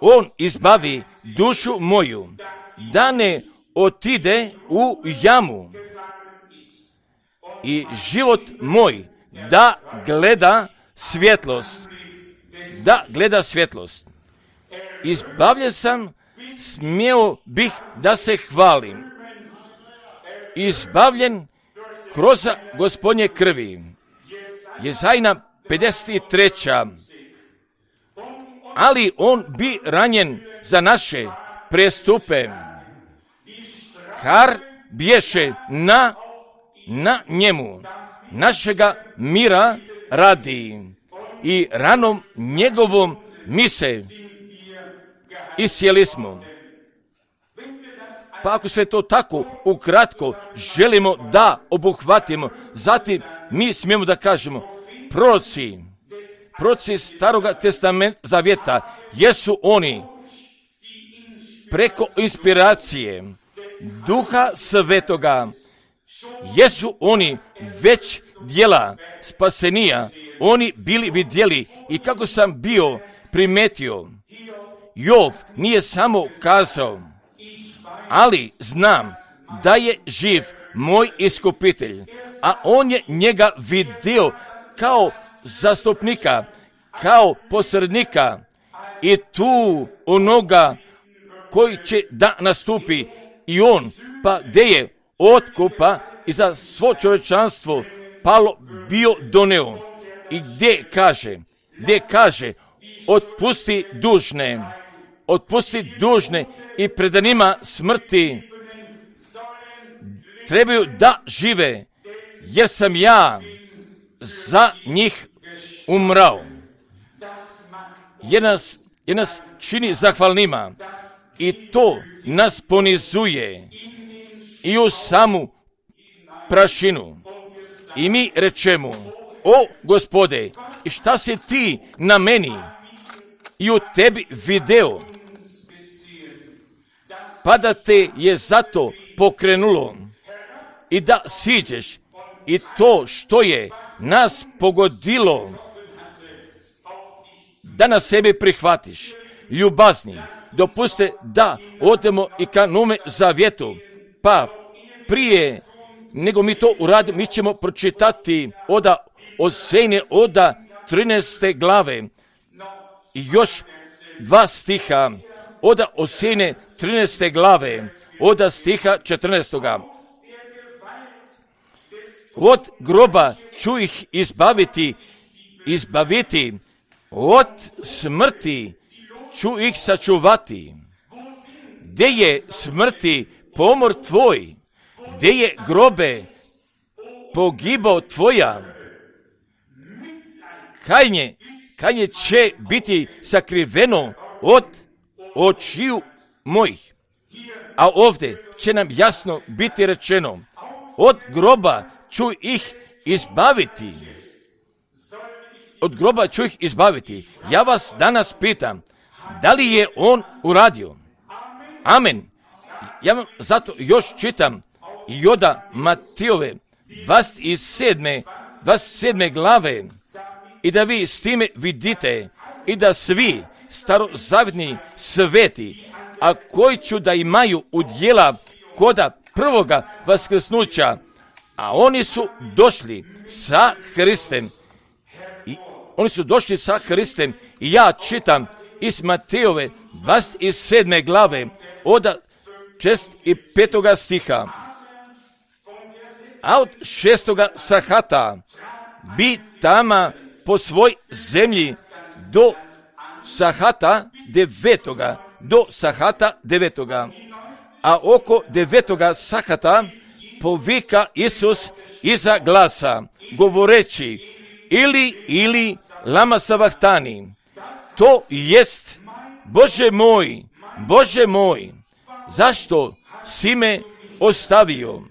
On izbavi dušu moju, da ne otide u jamu, i život moj da gleda svjetlost, da gleda svjetlost. Izbavljen sam, smio bih da se hvalim. Izbavljen kroz Gospodnje krvi. Jezajna pedeset treća. Ali on bi ranjen za naše prestupe, kar bješe na, na njemu, našega mira radi, i ranom njegovom mi se iscijeli smo. Pa ako sve to tako ukratko želimo da obuhvatimo, zatim mi smijemo da kažemo, proroci, proroci Staroga testamenta zavjeta, jesu oni preko inspiracije Duha Svetoga, jesu oni već djela spasenija, oni bili vidjeli, i kako sam bio primetio, Jov nije samo kazao, ali znam da je živ moj iskupitelj, a on je njega vidio kao zastupnika, kao posrednika, i tu onoga koji će da nastupi, i on, pa gdje je otkupa i za svo čovječanstvo palo bio doneo, i gdje kaže, gdje kaže, otpusti dužne, otpusti dužne i predanima smrti trebaju da žive, jer sam ja za njih umrao. Jer nas, jer nas čini zahvalnima, i to nas ponizuje i u samu prašinu. I mi rečemo, o Gospode, i šta si ti na meni i u tebi video, pa da te je zato pokrenulo i da siđeš, i to što je nas pogodilo, da na sebi prihvatiš. Ljubazni, dopuste da odemo i ka Novome zavjetu, pa prije nego mi to uradimo, mi ćemo pročitati oda Osejne, oda trinaeste glave, i još dva stiha, oda Osejne trinaeste glave, oda stiha četrnaestoga. Od groba ću ih izbaviti, izbaviti, od smrti ću ih sačuvati. Gdje je smrti pomor tvoj, gdje je grobe pogibao tvoja, kajnje, kajnje će biti sakriveno od očiju mojih. A ovdje će nam jasno biti rečeno, od groba ću ih izbaviti. Od groba ću ih izbaviti. Ja vas danas pitam, da li je on uradio? Amen. Ja vam zato još čitam i oda Matijove dvadeset sedme, dvadeset sedme glave, i da vi s time vidite, i da svi starozavjetni sveti a koji ću da imaju udjela koda prvoga vaskrsnuća, a oni su došli sa Hristem. I oni su došli sa Hristem i ja čitam iz Matejove dvadeset sedme glave od šezdeset petoga stiha. A od šestoga sahata bi tama po svoj zemlji do sahata devetoga, do sahata devetoga. A oko devetoga sahata povika Isus iza glasa, govoreći, ili, ili, lama savahtani. To jest, Bože moj, Bože moj, zašto si me ostavio?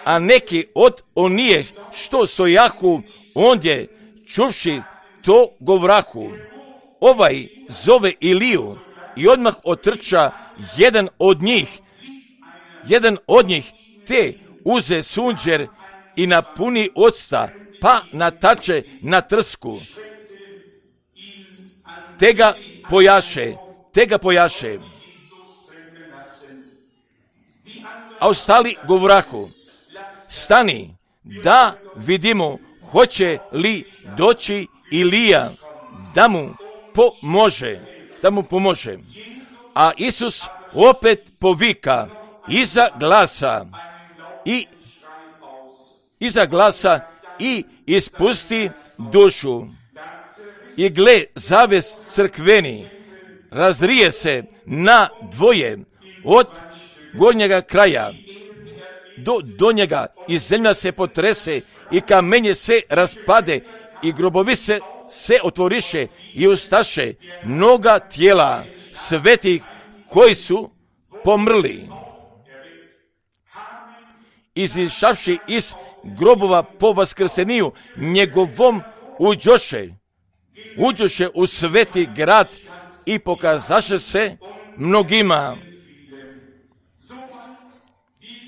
A neki od onih što stojahu ondje, čuvši to govrahu, ovaj zove Iliju, i odmah otrča jedan od njih, jedan od njih te uze sunđer i napuni octa, pa natače na trsku. Te ga pojaše, te ga pojaše. A ostali govrahu, stani, da vidimo hoće li doći Ilija da mu pomože, da mu pomože. A Isus opet povika iza glasa i iza glasa i ispusti dušu. I gle, zaves crkveni razrije se na dvoje od gornjega kraja do donjega i zemlja se potrese i kamenje se raspade i grobovi se se otvoriše i ustaše mnoga tijela svetih koji su pomrli. Izišavši iz grobova po vaskrseniju njegovom uđoše, uđoše u sveti grad i pokazaše se mnogima.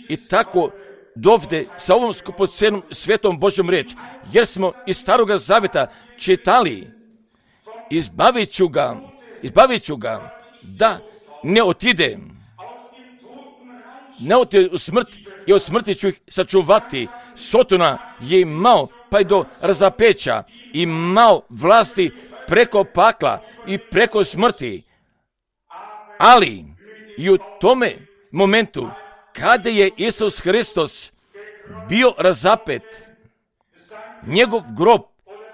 I tako dovde sa ovom skupocenom svetom Božjom riječ, jer smo iz Staroga Zaveta čitali, izbavit ću ga, izbavit ću ga da ne otide, ne otide u smrt i od smrti ću ih sačuvati. Sotona je imao pa i do razapeća, imao vlasti preko pakla i preko smrti, ali i u tome momentu kada je Isus Hristos bio razapet, njegov grob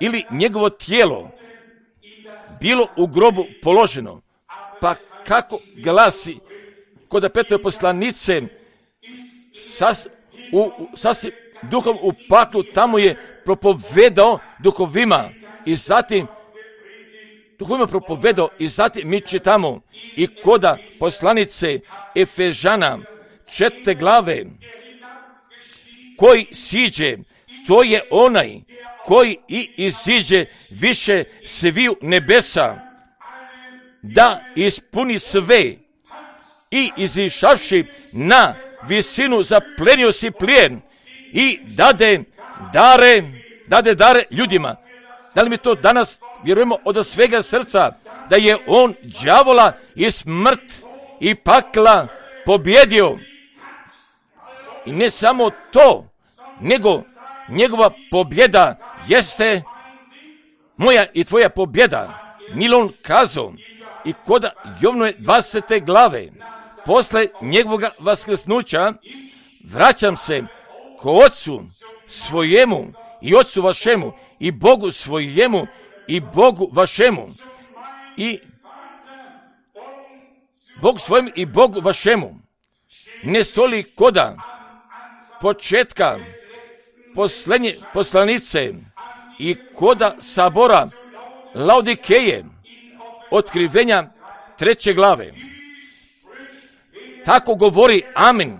ili njegovo tijelo bilo u grobu položeno, pa kako glasi kod Petrove poslanice, sas, u, u, sasvim duhom u paklu, tamo je propovedao duhovima i zatim duhovima propovedao i zatim mi čitamo i koda poslanice Efežana četvrte glave, koji siđe, to je onaj koji i iziđe više sviju nebesa, da ispuni sve i izišavši na visinu zaplenio si plijen i dade dare, dade dare ljudima. Da li mi to danas vjerujemo od svega srca, da je on đavola i smrt i pakla pobjedio? I ne samo to, nego njegova pobjeda jeste moja i tvoja pobjeda. Nilon kazao i koda Jovnove dvadesete glave, posle njegovog vaskrsnuća, vraćam se ko Otcu svojemu i Otcu vašemu i Bogu svojemu i Bogu vašemu i Bogu svojemu i Bogu vašemu. Ne stoli koda početka poslednje poslanice i koda sabora Laodikeje, otkrivenja treće glave. Tako govori amin.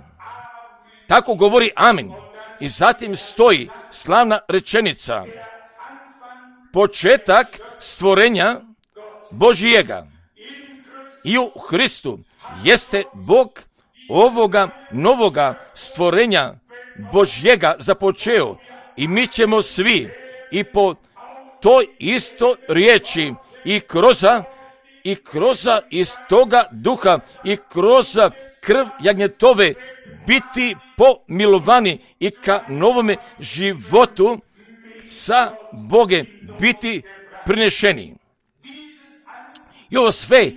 Tako govori amin. I zatim stoji slavna rečenica. Početak stvorenja Božijega i u Hristu jeste Bog ovoga novoga stvorenja Božjega započeo i mi ćemo svi i po toj isto riječi i kroz i kroz iz toga duha i kroz krv jagnjetove biti pomilovani i ka novome životu sa Bogem biti prinešeni. I ovo sve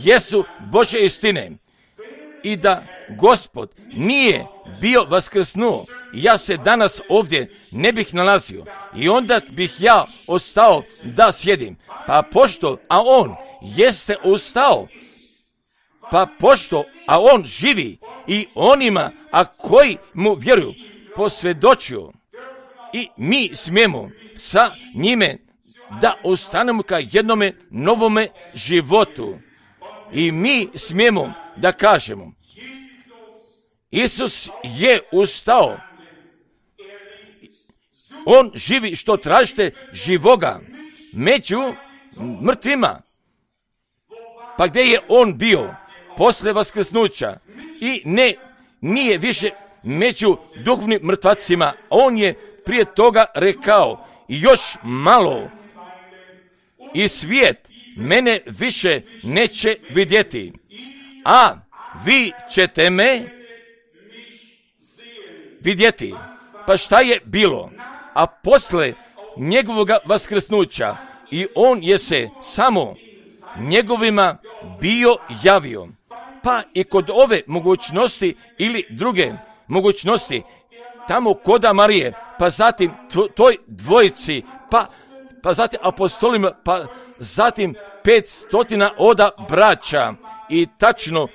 jesu Božje istine. I da Gospod nije bio vaskrsnuo, ja se danas ovdje ne bih nalazio i onda bih ja ostao da sjedim. Pa pošto, a on jeste ustao, pa pošto, a on živi i onima, a koji mu vjeruju, posvjedočio i mi smijemo sa njime da ostanemo ka jednome novome životu. I mi smijemo da kažemo, Isus je ustao. On živi što tražite živoga među mrtvima. Pa gdje je on bio posle vaskrsnuća? I ne, nije više među duhovnim mrtvacima. On je prije toga rekao, još malo i svijet mene više neće vidjeti, a vi ćete me vidjeti. Pa šta je bilo? A posle njegovog vaskrsnuća i on je se samo njegovima bio javio. Pa i kod ove mogućnosti ili druge mogućnosti, tamo koda Marije, pa zatim toj dvojici, pa, pa zatim apostolima, pa zatim pet stotina oda braća i tačno,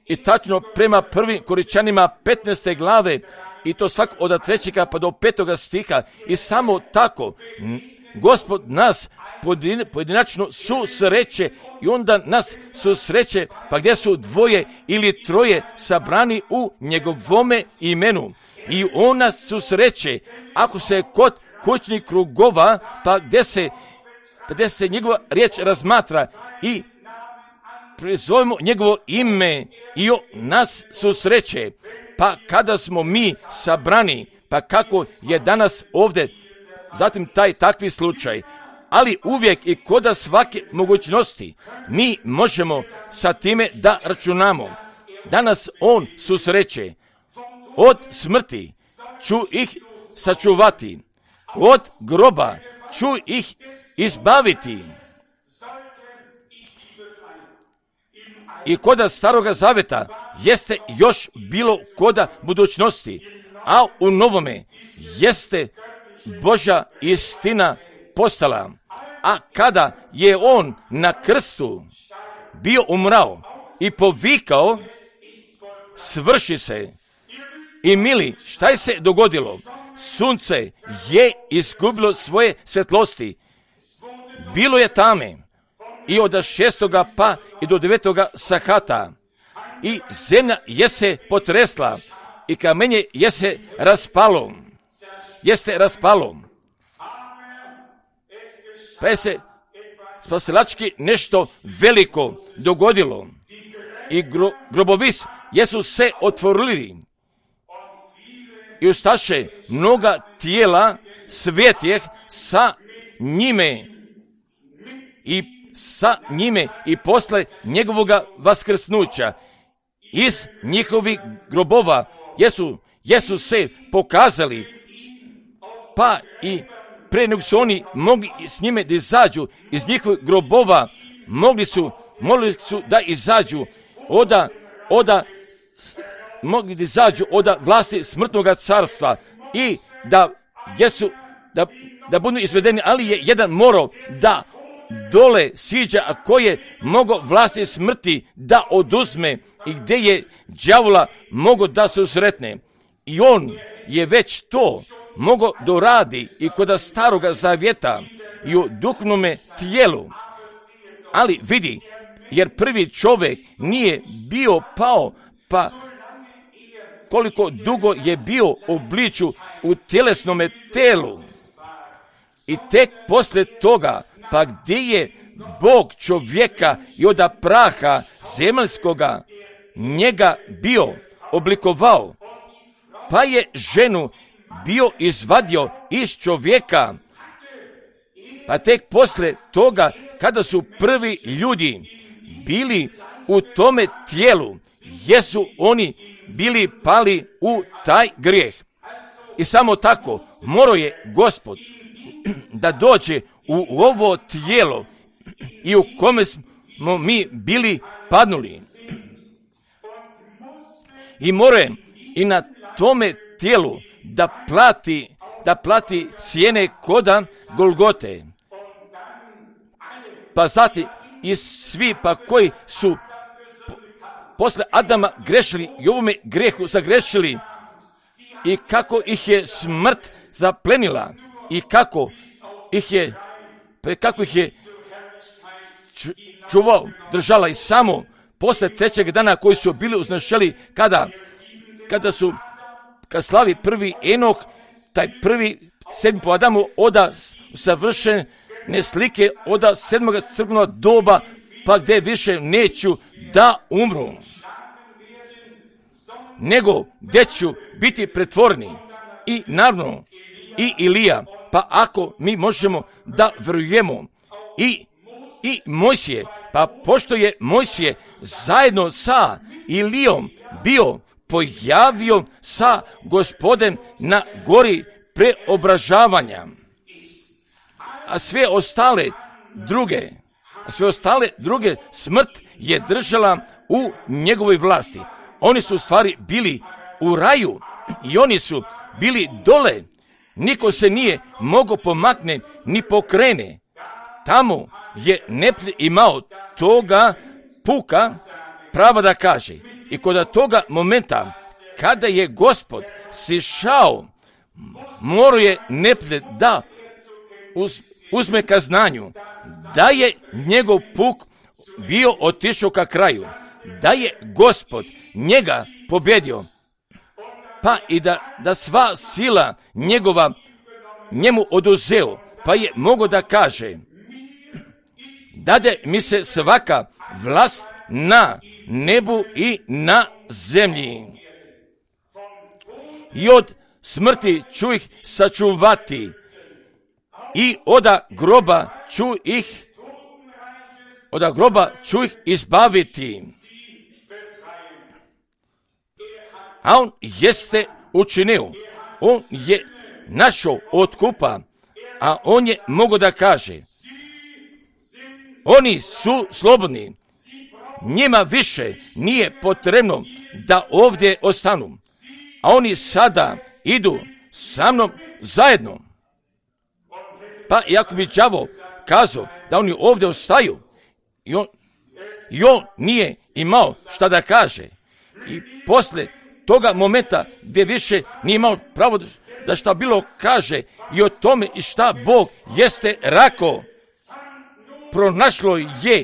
i tačno prema prvim Koričanima petnaeste glave, i to svak od trećega pa do petoga stiha, i samo tako Gospod nas pojedinačno susreće i onda nas susreće, pa gdje su dvoje ili troje sabrani u njegovome imenu. I on nas susreće ako se kod kućnih krugova, pa gdje se, pa gdje se njegova riječ razmatra i prizovemo njegovo ime i on nas susreće. Pa kada smo mi sabrani, pa kako je danas ovdje, zatim taj takvi slučaj, ali uvijek i koda svake mogućnosti mi možemo sa time da računamo. Danas on susreće. Od smrti ću ih sačuvati, od groba ću ih izbaviti. I koda staroga zaveta jeste još bilo koda budućnosti, a u novome jeste Božja istina postala. A kada je on na krstu bio umrao i povikao, svrši se. I mili, šta je se dogodilo? Sunce je izgubilo svoje svjetlosti. Bilo je tame i od šestoga pa i do devetoga sahata. I zemlja je se potresla i kamenje je se raspalo. Jeste raspalo. Pa je se spasilački nešto veliko dogodilo. I gro, grobovi jesu se otvorili. I ustaše mnoga tijela svetijeh sa njime i sa njime i posle njegovoga vaskrsnuća iz njihovih grobova jesu, jesu se pokazali, pa i pre nego su oni mogli s njime da izađu iz njihovih grobova, mogli su, mogli su da izađu oda, oda mogli da izađu od vlasti smrtnog carstva i da jesu, da, da budu izvedeni, ali je jedan morao da dole siđa, a ko je mogao vlasti smrti da oduzme i gdje je đavola mogao da se usretne. I on je već to mogao doradi i kod staroga zavjeta i u duhovnome tijelu. Ali vidi, jer prvi čovjek nije bio pao, pa koliko dugo je bio obliču u tjelesnome telu. I tek poslije toga, pa gdje je Bog čovjeka i od praha zemaljskoga njega bio oblikovao, pa je ženu bio izvadio iz čovjeka. Pa tek poslije toga, kada su prvi ljudi bili u tome tijelu, jesu oni bili pali u taj grijeh. I samo tako morao je Gospod da dođe u ovo tijelo i u kome smo mi bili padnuli. I mora je i na tome tijelu da plati, da plati cijene koda Golgote. Pa zatim i svi pa koji su posle Adama grešili i ovome grehu zagrešili i kako ih je smrt zaplenila i kako ih je, kako ih je čuvao, držala i samo posle trećeg dana koji su bili uznešeli kada, kada su, kad slavi prvi Enok, taj prvi sedmi po Adamu oda savršene slike oda sedmoga crkvenog doba, pa gdje više neću da umru, nego gdje ću biti pretvorni i naravno i Ilija. Pa ako mi možemo da vjerujemo i, i Mojsije, pa pošto je Mojsije zajedno sa Ilijom bio pojavio sa Gospodem na gori preobražavanja, a sve ostale druge, a sve ostale druge smrt je držala u njegovoj vlasti. Oni su u stvari bili u raju i oni su bili dole. Niko se nije mogao pomakne ni pokrene. Tamo je neprijatelj imao toga puka prava da kaže. I kod toga momenta kada je Gospod sišao, morao je neprijatelj da uz, uzme ka znanju da je njegov puk bio otišao ka kraju, da je Gospod njega pobjedio, pa i da, da sva sila njegova njemu oduzeo, pa je mogao da kaže: dade mi se svaka vlast na nebu i na zemlji. I od smrti ću ih sačuvati i oda groba ću ih, oda groba ću ih izbaviti. A on jeste učinio, on je našao otkupa, a on je mogao da kaže: oni su slobodni, njima više nije potrebno da ovdje ostanu, a oni sada idu sa mnom zajedno. Pa iako bi đavo kazao da oni ovdje ostaju, i on, i on nije imao šta da kaže, i posle toga momenta gdje više nije imao pravo da šta bilo kaže i o tome i šta Bog jeste rekao, pronašlo je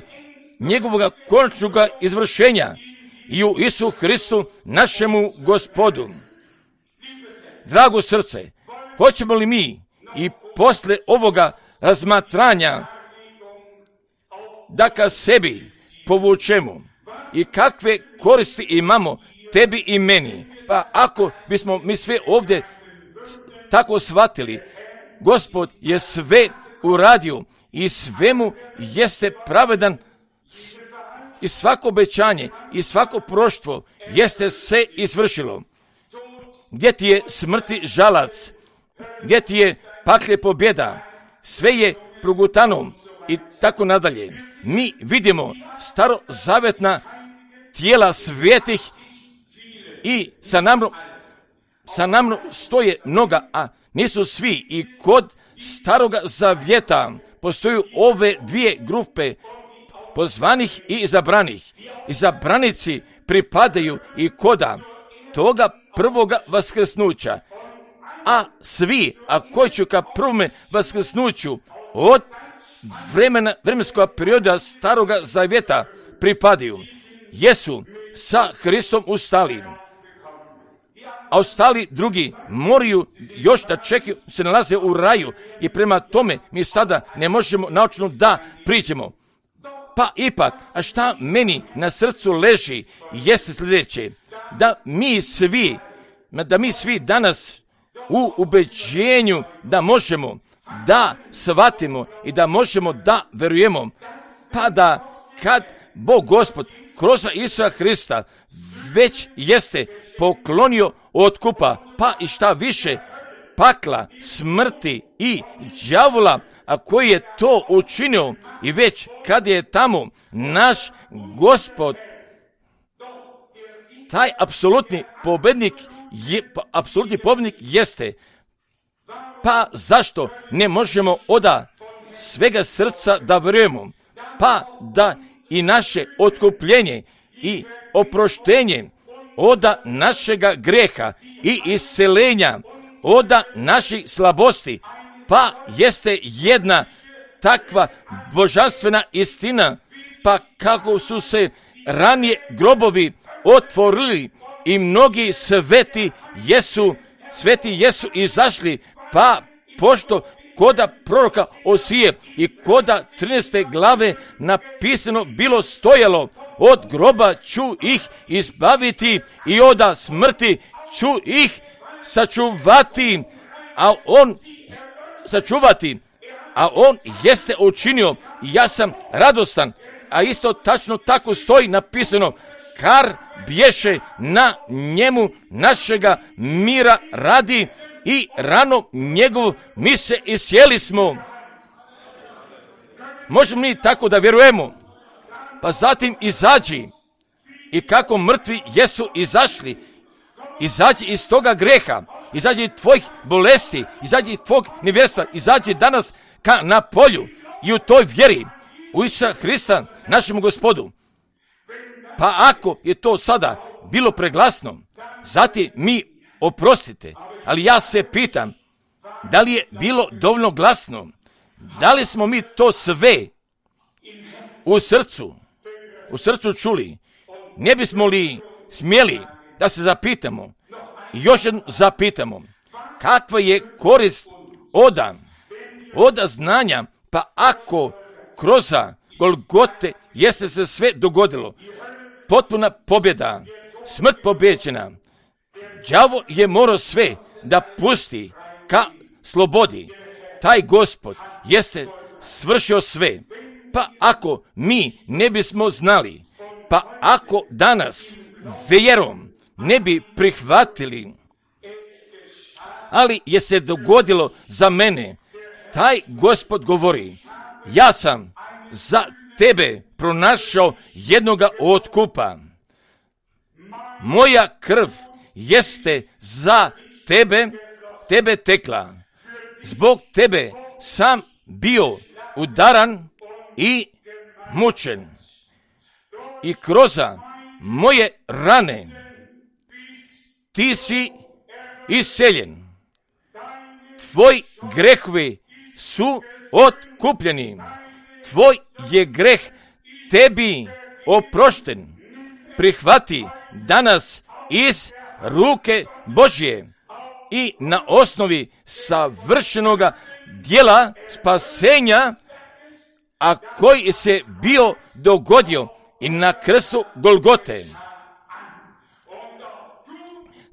njegovog konačnog izvršenja i u Isu Hristu našemu Gospodu. Drago srce, hoćemo li mi i posle ovoga razmatranja da ka sebi povučemo i kakve koristi imamo tebi i meni? Pa ako bismo mi sve ovdje tako shvatili, Gospod je sve uradio i svemu jeste pravedan, i svako obećanje i svako proštvo jeste se izvršilo. Gdje ti je smrti žalac, gdje ti je paklje pobjeda, sve je progutano i tako nadalje. Mi vidimo starozavetna tijela svetih i sa nam, sa nam stoje mnoga, a nisu svi. I kod staroga zavjeta postoju ove dvije grupe, pozvanih i izabranih. Izabranici pripadaju i koda toga prvoga vaskrsnuća, a svi, a koji ću ka prvome vaskrsnuću od vremena, vremenskog perioda staroga zavjeta pripadaju, jesu sa Hristom ustali, a ostali drugi moraju još da čekaju, se nalaze u raju, i prema tome mi sada ne možemo naučno da priđemo. Pa ipak, a šta meni na srcu leži jeste sljedeće: da mi svi, da mi svi danas u ubeđenju da možemo da shvatimo i da možemo da verujemo, pa da kad Bog Gospod kroz Isusa Hrista već jeste poklonio otkupa, pa i šta više, pakla, smrti i đavola, a koji je to učinio i već kad je tamo naš Gospod, taj apsolutni pobednik je, pa, apsolutni pobednik jeste. Pa zašto ne možemo oda svega srca da vjerujemo, pa da i naše otkupljenje i oproštenje oda našega greha i iscelenja, oda naših slabosti, pa jeste jedna takva božanstvena istina, pa kako su se ranije grobovi otvorili i mnogi sveti jesu, sveti jesu izašli, pa pošto koda proroka Osije i koda trinaeste glave napisano bilo stojalo, od groba ću ih izbaviti i oda smrti ću ih sačuvati, a on sačuvati, a on jeste učinio i ja sam radostan, a isto tačno tako stoji napisano, kar bješe na njemu našega mira radi i rano njegov mi se isjeli smo. Možemo mi tako da vjerujemo? Pa zatim izađi i kako mrtvi jesu izašli, izađi iz toga greha, izađi tvojih bolesti, izađi tvog nevjerstva, izađi danas ka na polju i u toj vjeri u Isusa Hrista našemu Gospodu. Pa ako je to sada bilo preglasno, zatim mi oprostite, ali ja se pitam, da li je bilo dovoljno glasno, da li smo mi to sve u srcu, u srcu čuli, ne bismo li smjeli da se zapitamo i još jedno zapitamo, kakva je korist oda, oda znanja, pa ako kroz Golgote jeste se sve dogodilo, potpuna pobjeda, smrt pobjeđena, đavo je morao sve da pusti ka slobodi, taj Gospod jeste svršio sve, pa ako mi ne bismo znali, pa ako danas vjerom ne bi prihvatili, ali je se dogodilo za mene, taj Gospod govori, ja sam za tebe pronašao jednoga otkupa, moja krv jeste za tebe, tebe tekla, zbog tebe sam bio udaran i mučen i kroz moje rane ti si isceljen, tvoj grehovi su otkupljeni, tvoj je greh tebi oprošten, prihvati danas iz ruke Božje i na osnovi savršenoga djela spasenja, a koji se bio dogodio i na krstu Golgote.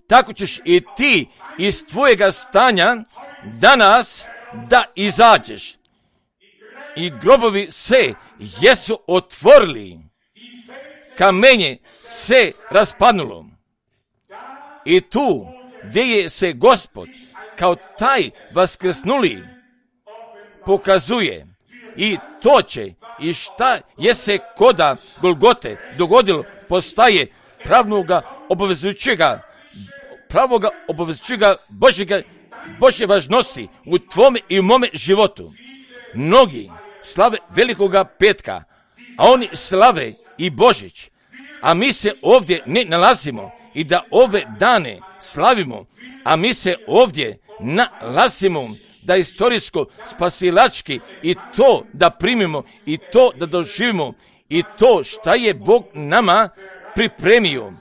Tako ćeš i ti iz tvojega stanja danas da izađeš. I grobovi se jesu otvorili, kamenje se raspadnulo. I tu gdje je se Gospod kao taj vaskrsnuli pokazuje i to će i šta je se koda Golgote dogodilo postaje pravnoga obavezujućega, pravoga obavezujućega Božjega, Božje važnosti u tvome i u mome životu. Mnogi slave velikoga petka, a oni slave i Božić, a mi se ovdje ne nalazimo i da ove dane slavimo, a mi se ovdje nalazimo da istorijsko spasilački i to da primimo i to da doživimo i to šta je Bog nama pripremio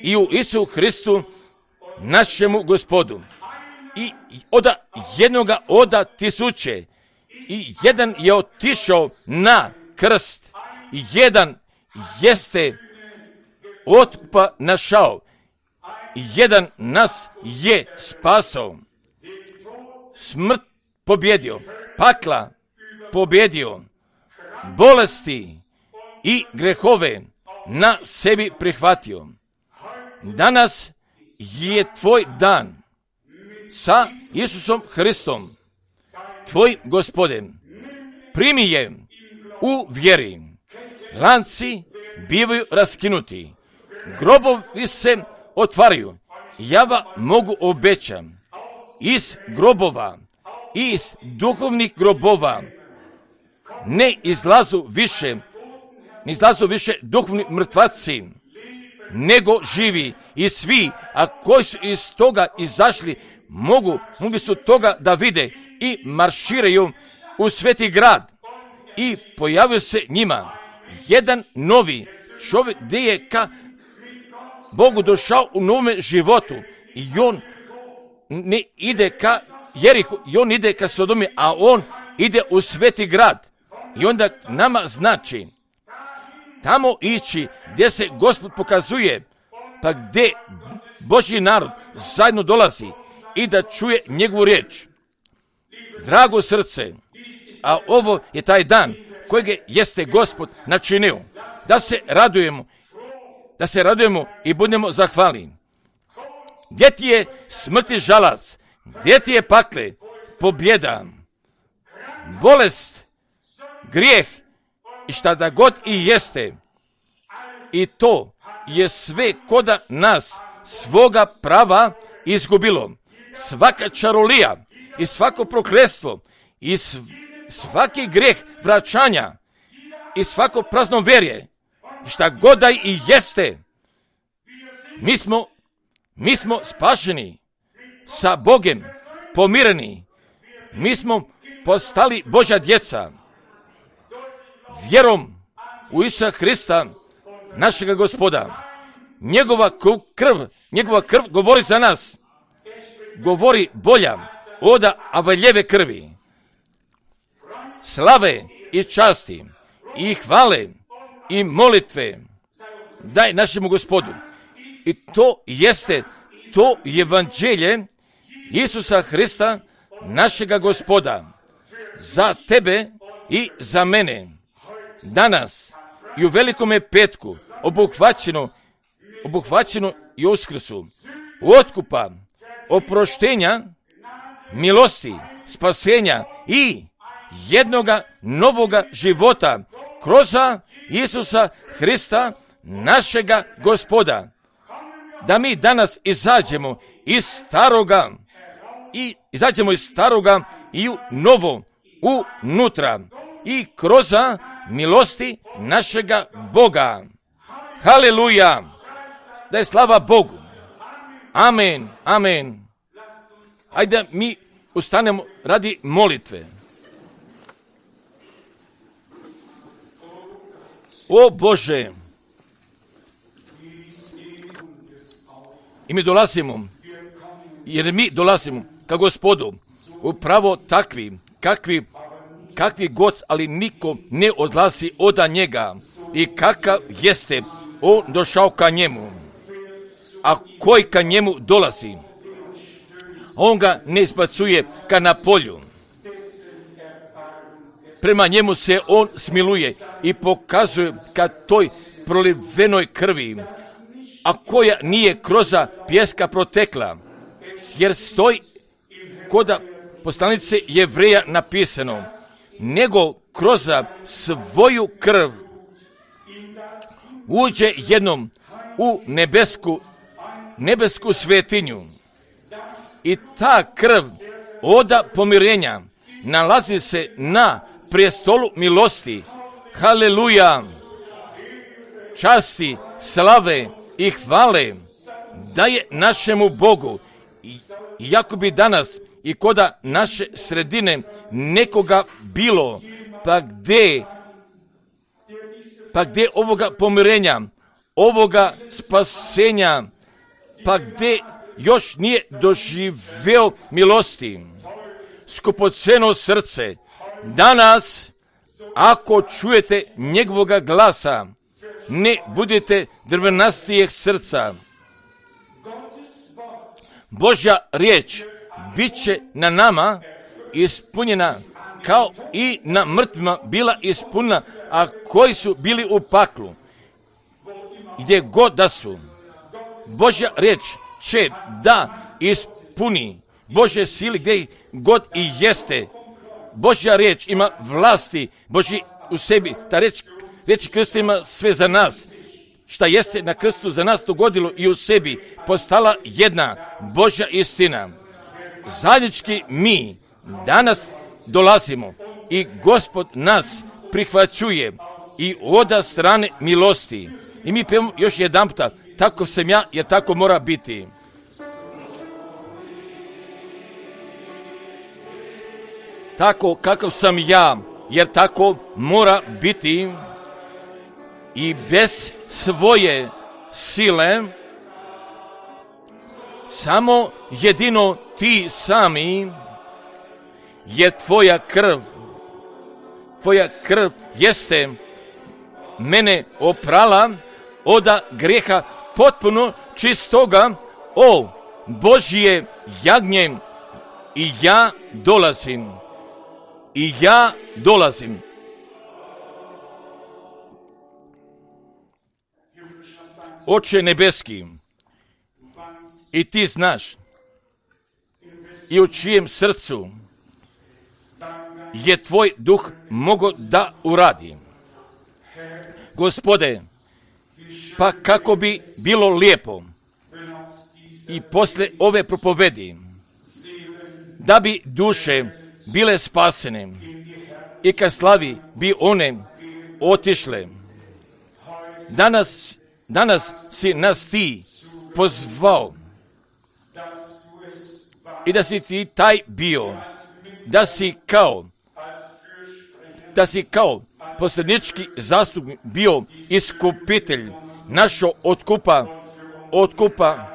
i u Isusu Hristu našemu Gospodu. I oda jednoga oda tisuće i jedan je otišao na krst i jedan jeste otkupa našao i jedan nas je spasao. Smrt pobjedio, pakla pobjedio, bolesti i grehove na sebi prihvatio. Danas je tvoj dan sa Isusom Hristom, tvojim Gospodem. Primi je u vjeri. Lanci bivaju raskinuti. Grobovi se otvaraju. Ja vam mogu obećam. Iz grobova, iz duhovnih grobova ne izlazu više, ne izlazu više duhovni mrtvaci, nego živi. I svi, a koji su iz toga izašli, mogu, mogli su toga da vide i marširaju u sveti grad. I pojavio se njima jedan novi čovjek gdje je ka Bogu došao u novome životu. I on ne ide ka Jerihu, i on ide ka Sodomi, a on ide u sveti grad. I onda nama znači tamo ići gdje se Gospod pokazuje, pa gdje Božji narod zajedno dolazi i da čuje njegovu riječ. Drago srce, a ovo je taj dan kojeg jeste Gospod načinio, da se radujemo, da se radujemo i budemo zahvalni. Gdje ti je smrti žalac, gdje ti je pakle, pobjeda, bolest, grijeh i šta da god i jeste. I to je sve koda nas svoga prava izgubilo. Svaka čarolija i svako prokletstvo i svaki grijeh vraćanja i svako praznoverje i šta god da i jeste. Mi smo, mi smo spašeni sa Bogem, pomireni. Mi smo postali Božja djeca. Vjerom u Isusa Hrista, našega Gospoda. Njegova krv, njegova krv govori za nas. Govori bolja od avaljeve krvi. Slave i časti i hvale i molitve daj našemu Gospodu. I to jeste to evanđelje Isusa Hrista, našega Gospoda, za tebe i za mene. Danas i u velikome petku obuhvaćeno, obuhvaćeno i uskrsu, otkupa, oproštenja, milosti, spasenja i jednoga novoga života kroz Isusa Hrista, našega Gospoda. Da mi danas izađemo iz staroga i izađemo iz staroga i u novo, unutra i kroz milosti našega Boga. Haleluja! Da je slava Bogu. Amen, amen. Ajde mi ustanemo radi molitve. O Bože, i mi dolazimo, jer mi dolazimo ka Gospodu, upravo takvi, kakvi, kakvi god, ali niko ne odlazi od njega. I kakav jeste on došao ka njemu, a koji ka njemu dolazi, on ga ne izbacuje ka na polju. Prema njemu se on smiluje i pokazuje ka toj prolivenoj krvi, a koja nije kroz pjeska protekla, jer stoji koda poslanice Jevreja napisano, nego kroz svoju krv uđe jednom u nebesku, nebesku svetinju. I ta krv oda pomirenja nalazi se na prestolu milosti. Haleluja! Časti, slave i hvale daje našemu Bogu. Iako bi danas i koda naše sredine nekoga bilo, pa gdje, pa gdje ovoga pomirenja, ovoga spasenja, pa gdje još nije doživeo milosti, skupoceno srce, danas, ako čujete njegovoga glasa, ne budete drvenastijeg srca. Božja riječ bit će na nama ispunjena kao i na mrtvima bila ispunjena, a koji su bili u paklu. Gdje god da su, Božja riječ će da ispuni Božje sili gdje god i jeste. Božja riječ ima vlasti Božji u sebi. Ta riječ, riječ Krista ima sve za nas. Šta jeste na krstu za nas dogodilo i u sebi postala jedna Božja istina. Zajednički mi danas dolazimo i Gospod nas prihvaćuje i oda strane milosti. I mi pevamo još jedan puta, tako sam ja, jer tako mora biti. Tako kakav sam ja, jer tako mora biti. I bez svoje sile, samo jedino ti sami, je tvoja krv. Tvoja krv jeste mene oprala oda grijeha potpuno čistoga, o Božje jagnje, i ja dolazim. I ja dolazim. Oče nebeski, i ti znaš i u čijem srcu je tvoj duh mogao da uradi. Gospode, pa kako bi bilo lijepo i posle ove propovedi da bi duše bile spasene i ka slavi bi one otišle. Danas, danas si nas ti pozvao i da si ti taj bio, da si kao, da si kao posljednički zastupnik bio iskupitelj našo otkupa, otkupa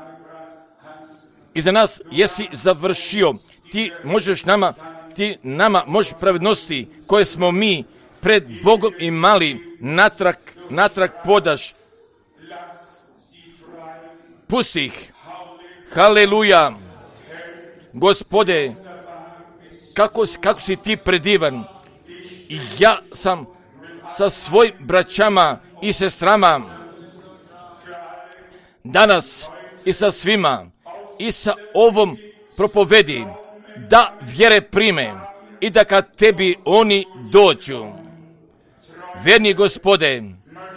i za nas jesi završio. Ti možeš nama, ti nama možeš pravednosti koje smo mi pred Bogom imali natrag, natrag podaš. Pusti ih. Haleluja. Gospode, kako, kako si ti predivan. I ja sam sa svojim braćama i sestrama danas i sa svima i sa ovom propovedi da vjere prime i da kad tebi oni dođu. Verni Gospode,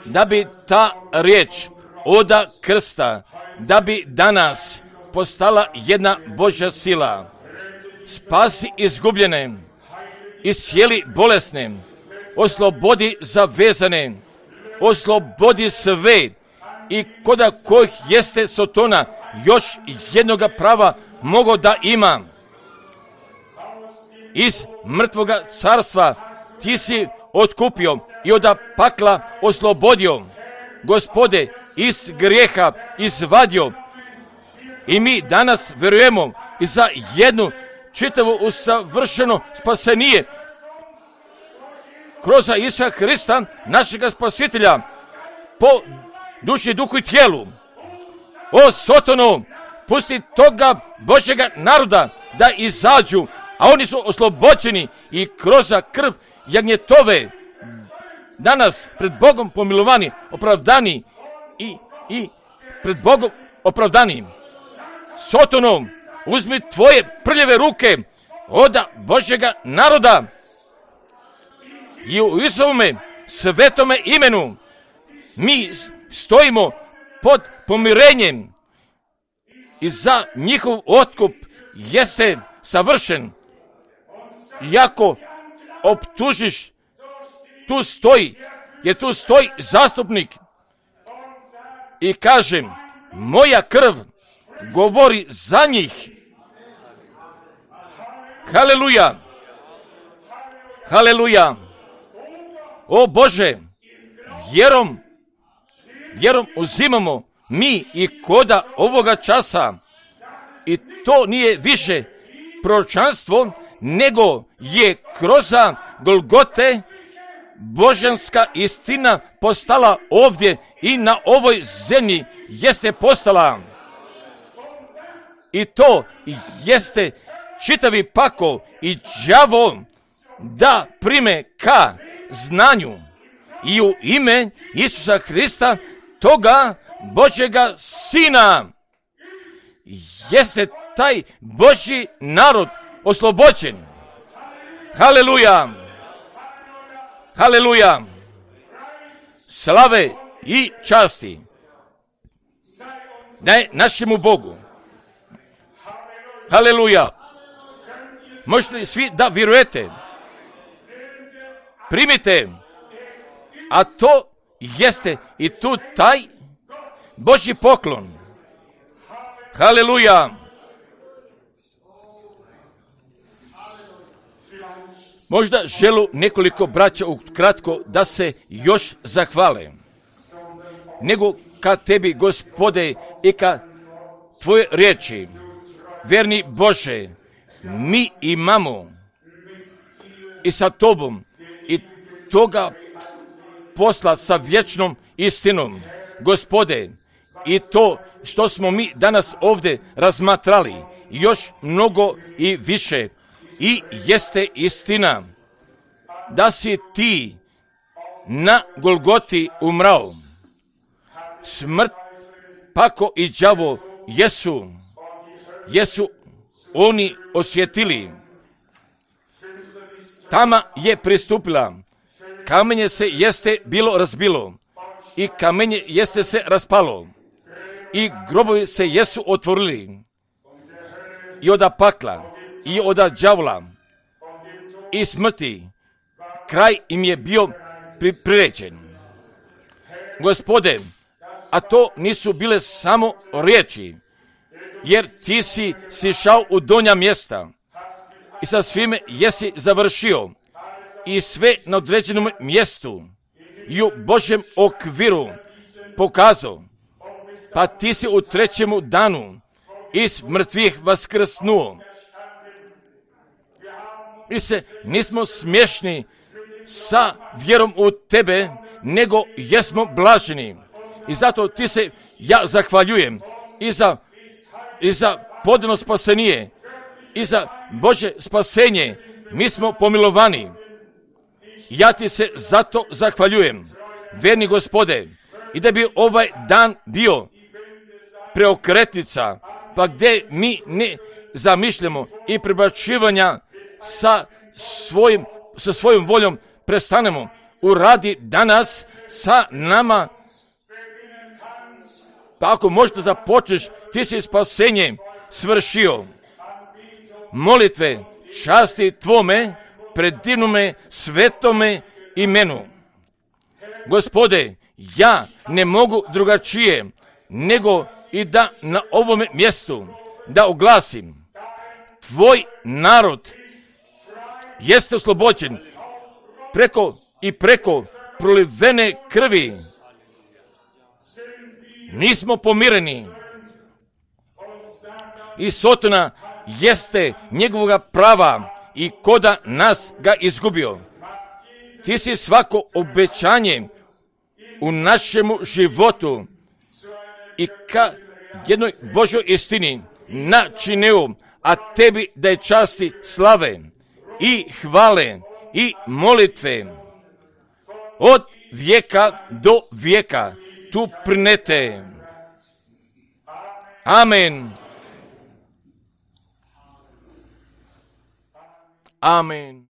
da bi ta riječ oda krsta, da bi danas postala jedna Božja sila. Spasi izgubljene, iscijeli bolesne, oslobodi zavezane, oslobodi sve i koda kojih jeste Sotona još jednoga prava mogo da ima. Iz mrtvoga carstva ti si otkupio i od pakla oslobodio. Gospode, iz grijeha izvadio. I mi danas vjerujemo i za jednu čitavu usavršeno spasenije kroz Isusa Hrista, našega spasitelja, po duši, duhu i tijelu. O Sotonu, pusti toga Božjega naroda da izađu, a oni su oslobođeni i kroz krv jagnjetove danas pred Bogom pomilovani, opravdani i, i pred Bogom opravdani. Sotonu, uzmi tvoje prljave ruke od Božjega naroda i u Isusovome svetome imenu mi stojimo pod pomirenjem i za njihov otkup jeste savršen. Iako optužiš, tu stoji, jer tu stoji zastupnik i kažem, moja krv govori za njih. Haleluja! Haleluja! O Bože, vjerom, vjerom uzimamo mi i koda ovoga časa i to nije više proročanstvo, nego je kroz Golgote božanska istina postala ovdje i na ovoj zemlji jeste postala. I to jeste čitavi pakao i đavo da prime ka znanju i u ime Isusa Hrista, toga Božjega Sina, jeste taj Božji narod oslobođen. Haleluja! Haleluja! Slave i časti ne našemu Bogu. Haleluja! Možete li svi da vjerujete? Primite, a to jeste i tu taj Božji poklon. Haleluja! Možda želu nekoliko braća ukratko da se još zahvale. Nego ka tebi, Gospode, i ka tvoje riječi, verni Bože, mi imamo i sa tobom i toga posla sa vječnom istinom. Gospode, i to što smo mi danas ovdje razmatrali, još mnogo i više, i jeste istina da si ti na Golgoti umrao. Smrt, pako i đavo jesu, jesu oni osjetili. Tama je pristupila, kamenje se jeste bilo razbilo i kamenje jeste se raspalo i grobovi se jesu otvorili i oda pakla i oda đavola i smrti kraj im je bio priređen. Gospode, a to nisu bile samo riječi, jer ti si sišao u donja mjesta i sa svime jesi završio i sve na određenom mjestu i u Božjem okviru pokazao, pa ti si u trećemu danu iz mrtvih vaskrsnuo. Mi se nismo smiješni sa vjerom u tebe, nego jesmo blaženi. I zato ti se ja zahvaljujem i za, i za podano spasenje, i za Bože spasenje. Mi smo pomilovani. Ja ti se zato zahvaljujem, verni Gospode, i da bi ovaj dan bio preokretnica, pa gdje mi ne zamišljamo i prebačivanja sa svojim, sa svojom voljom prestanemo. Uradi danas sa nama, pa ako možete započneš, ti si spasenje svršio. Molitve časti tvome, pred divnome svetome imenu. Gospode, ja ne mogu drugačije nego i da na ovome mjestu da oglasim. Tvoj narod jeste oslobođen preko i preko prolivene krvi. Nismo pomireni. I Sotona jeste njegovoga prava i koda nas ga izgubio. Ti si svako obećanje u našemu životu i ka jednoj Božoj istini načinio, a tebi da je časti slave i hvale i molitve od vijeka do vijeka tu prinete. Amen. Amen.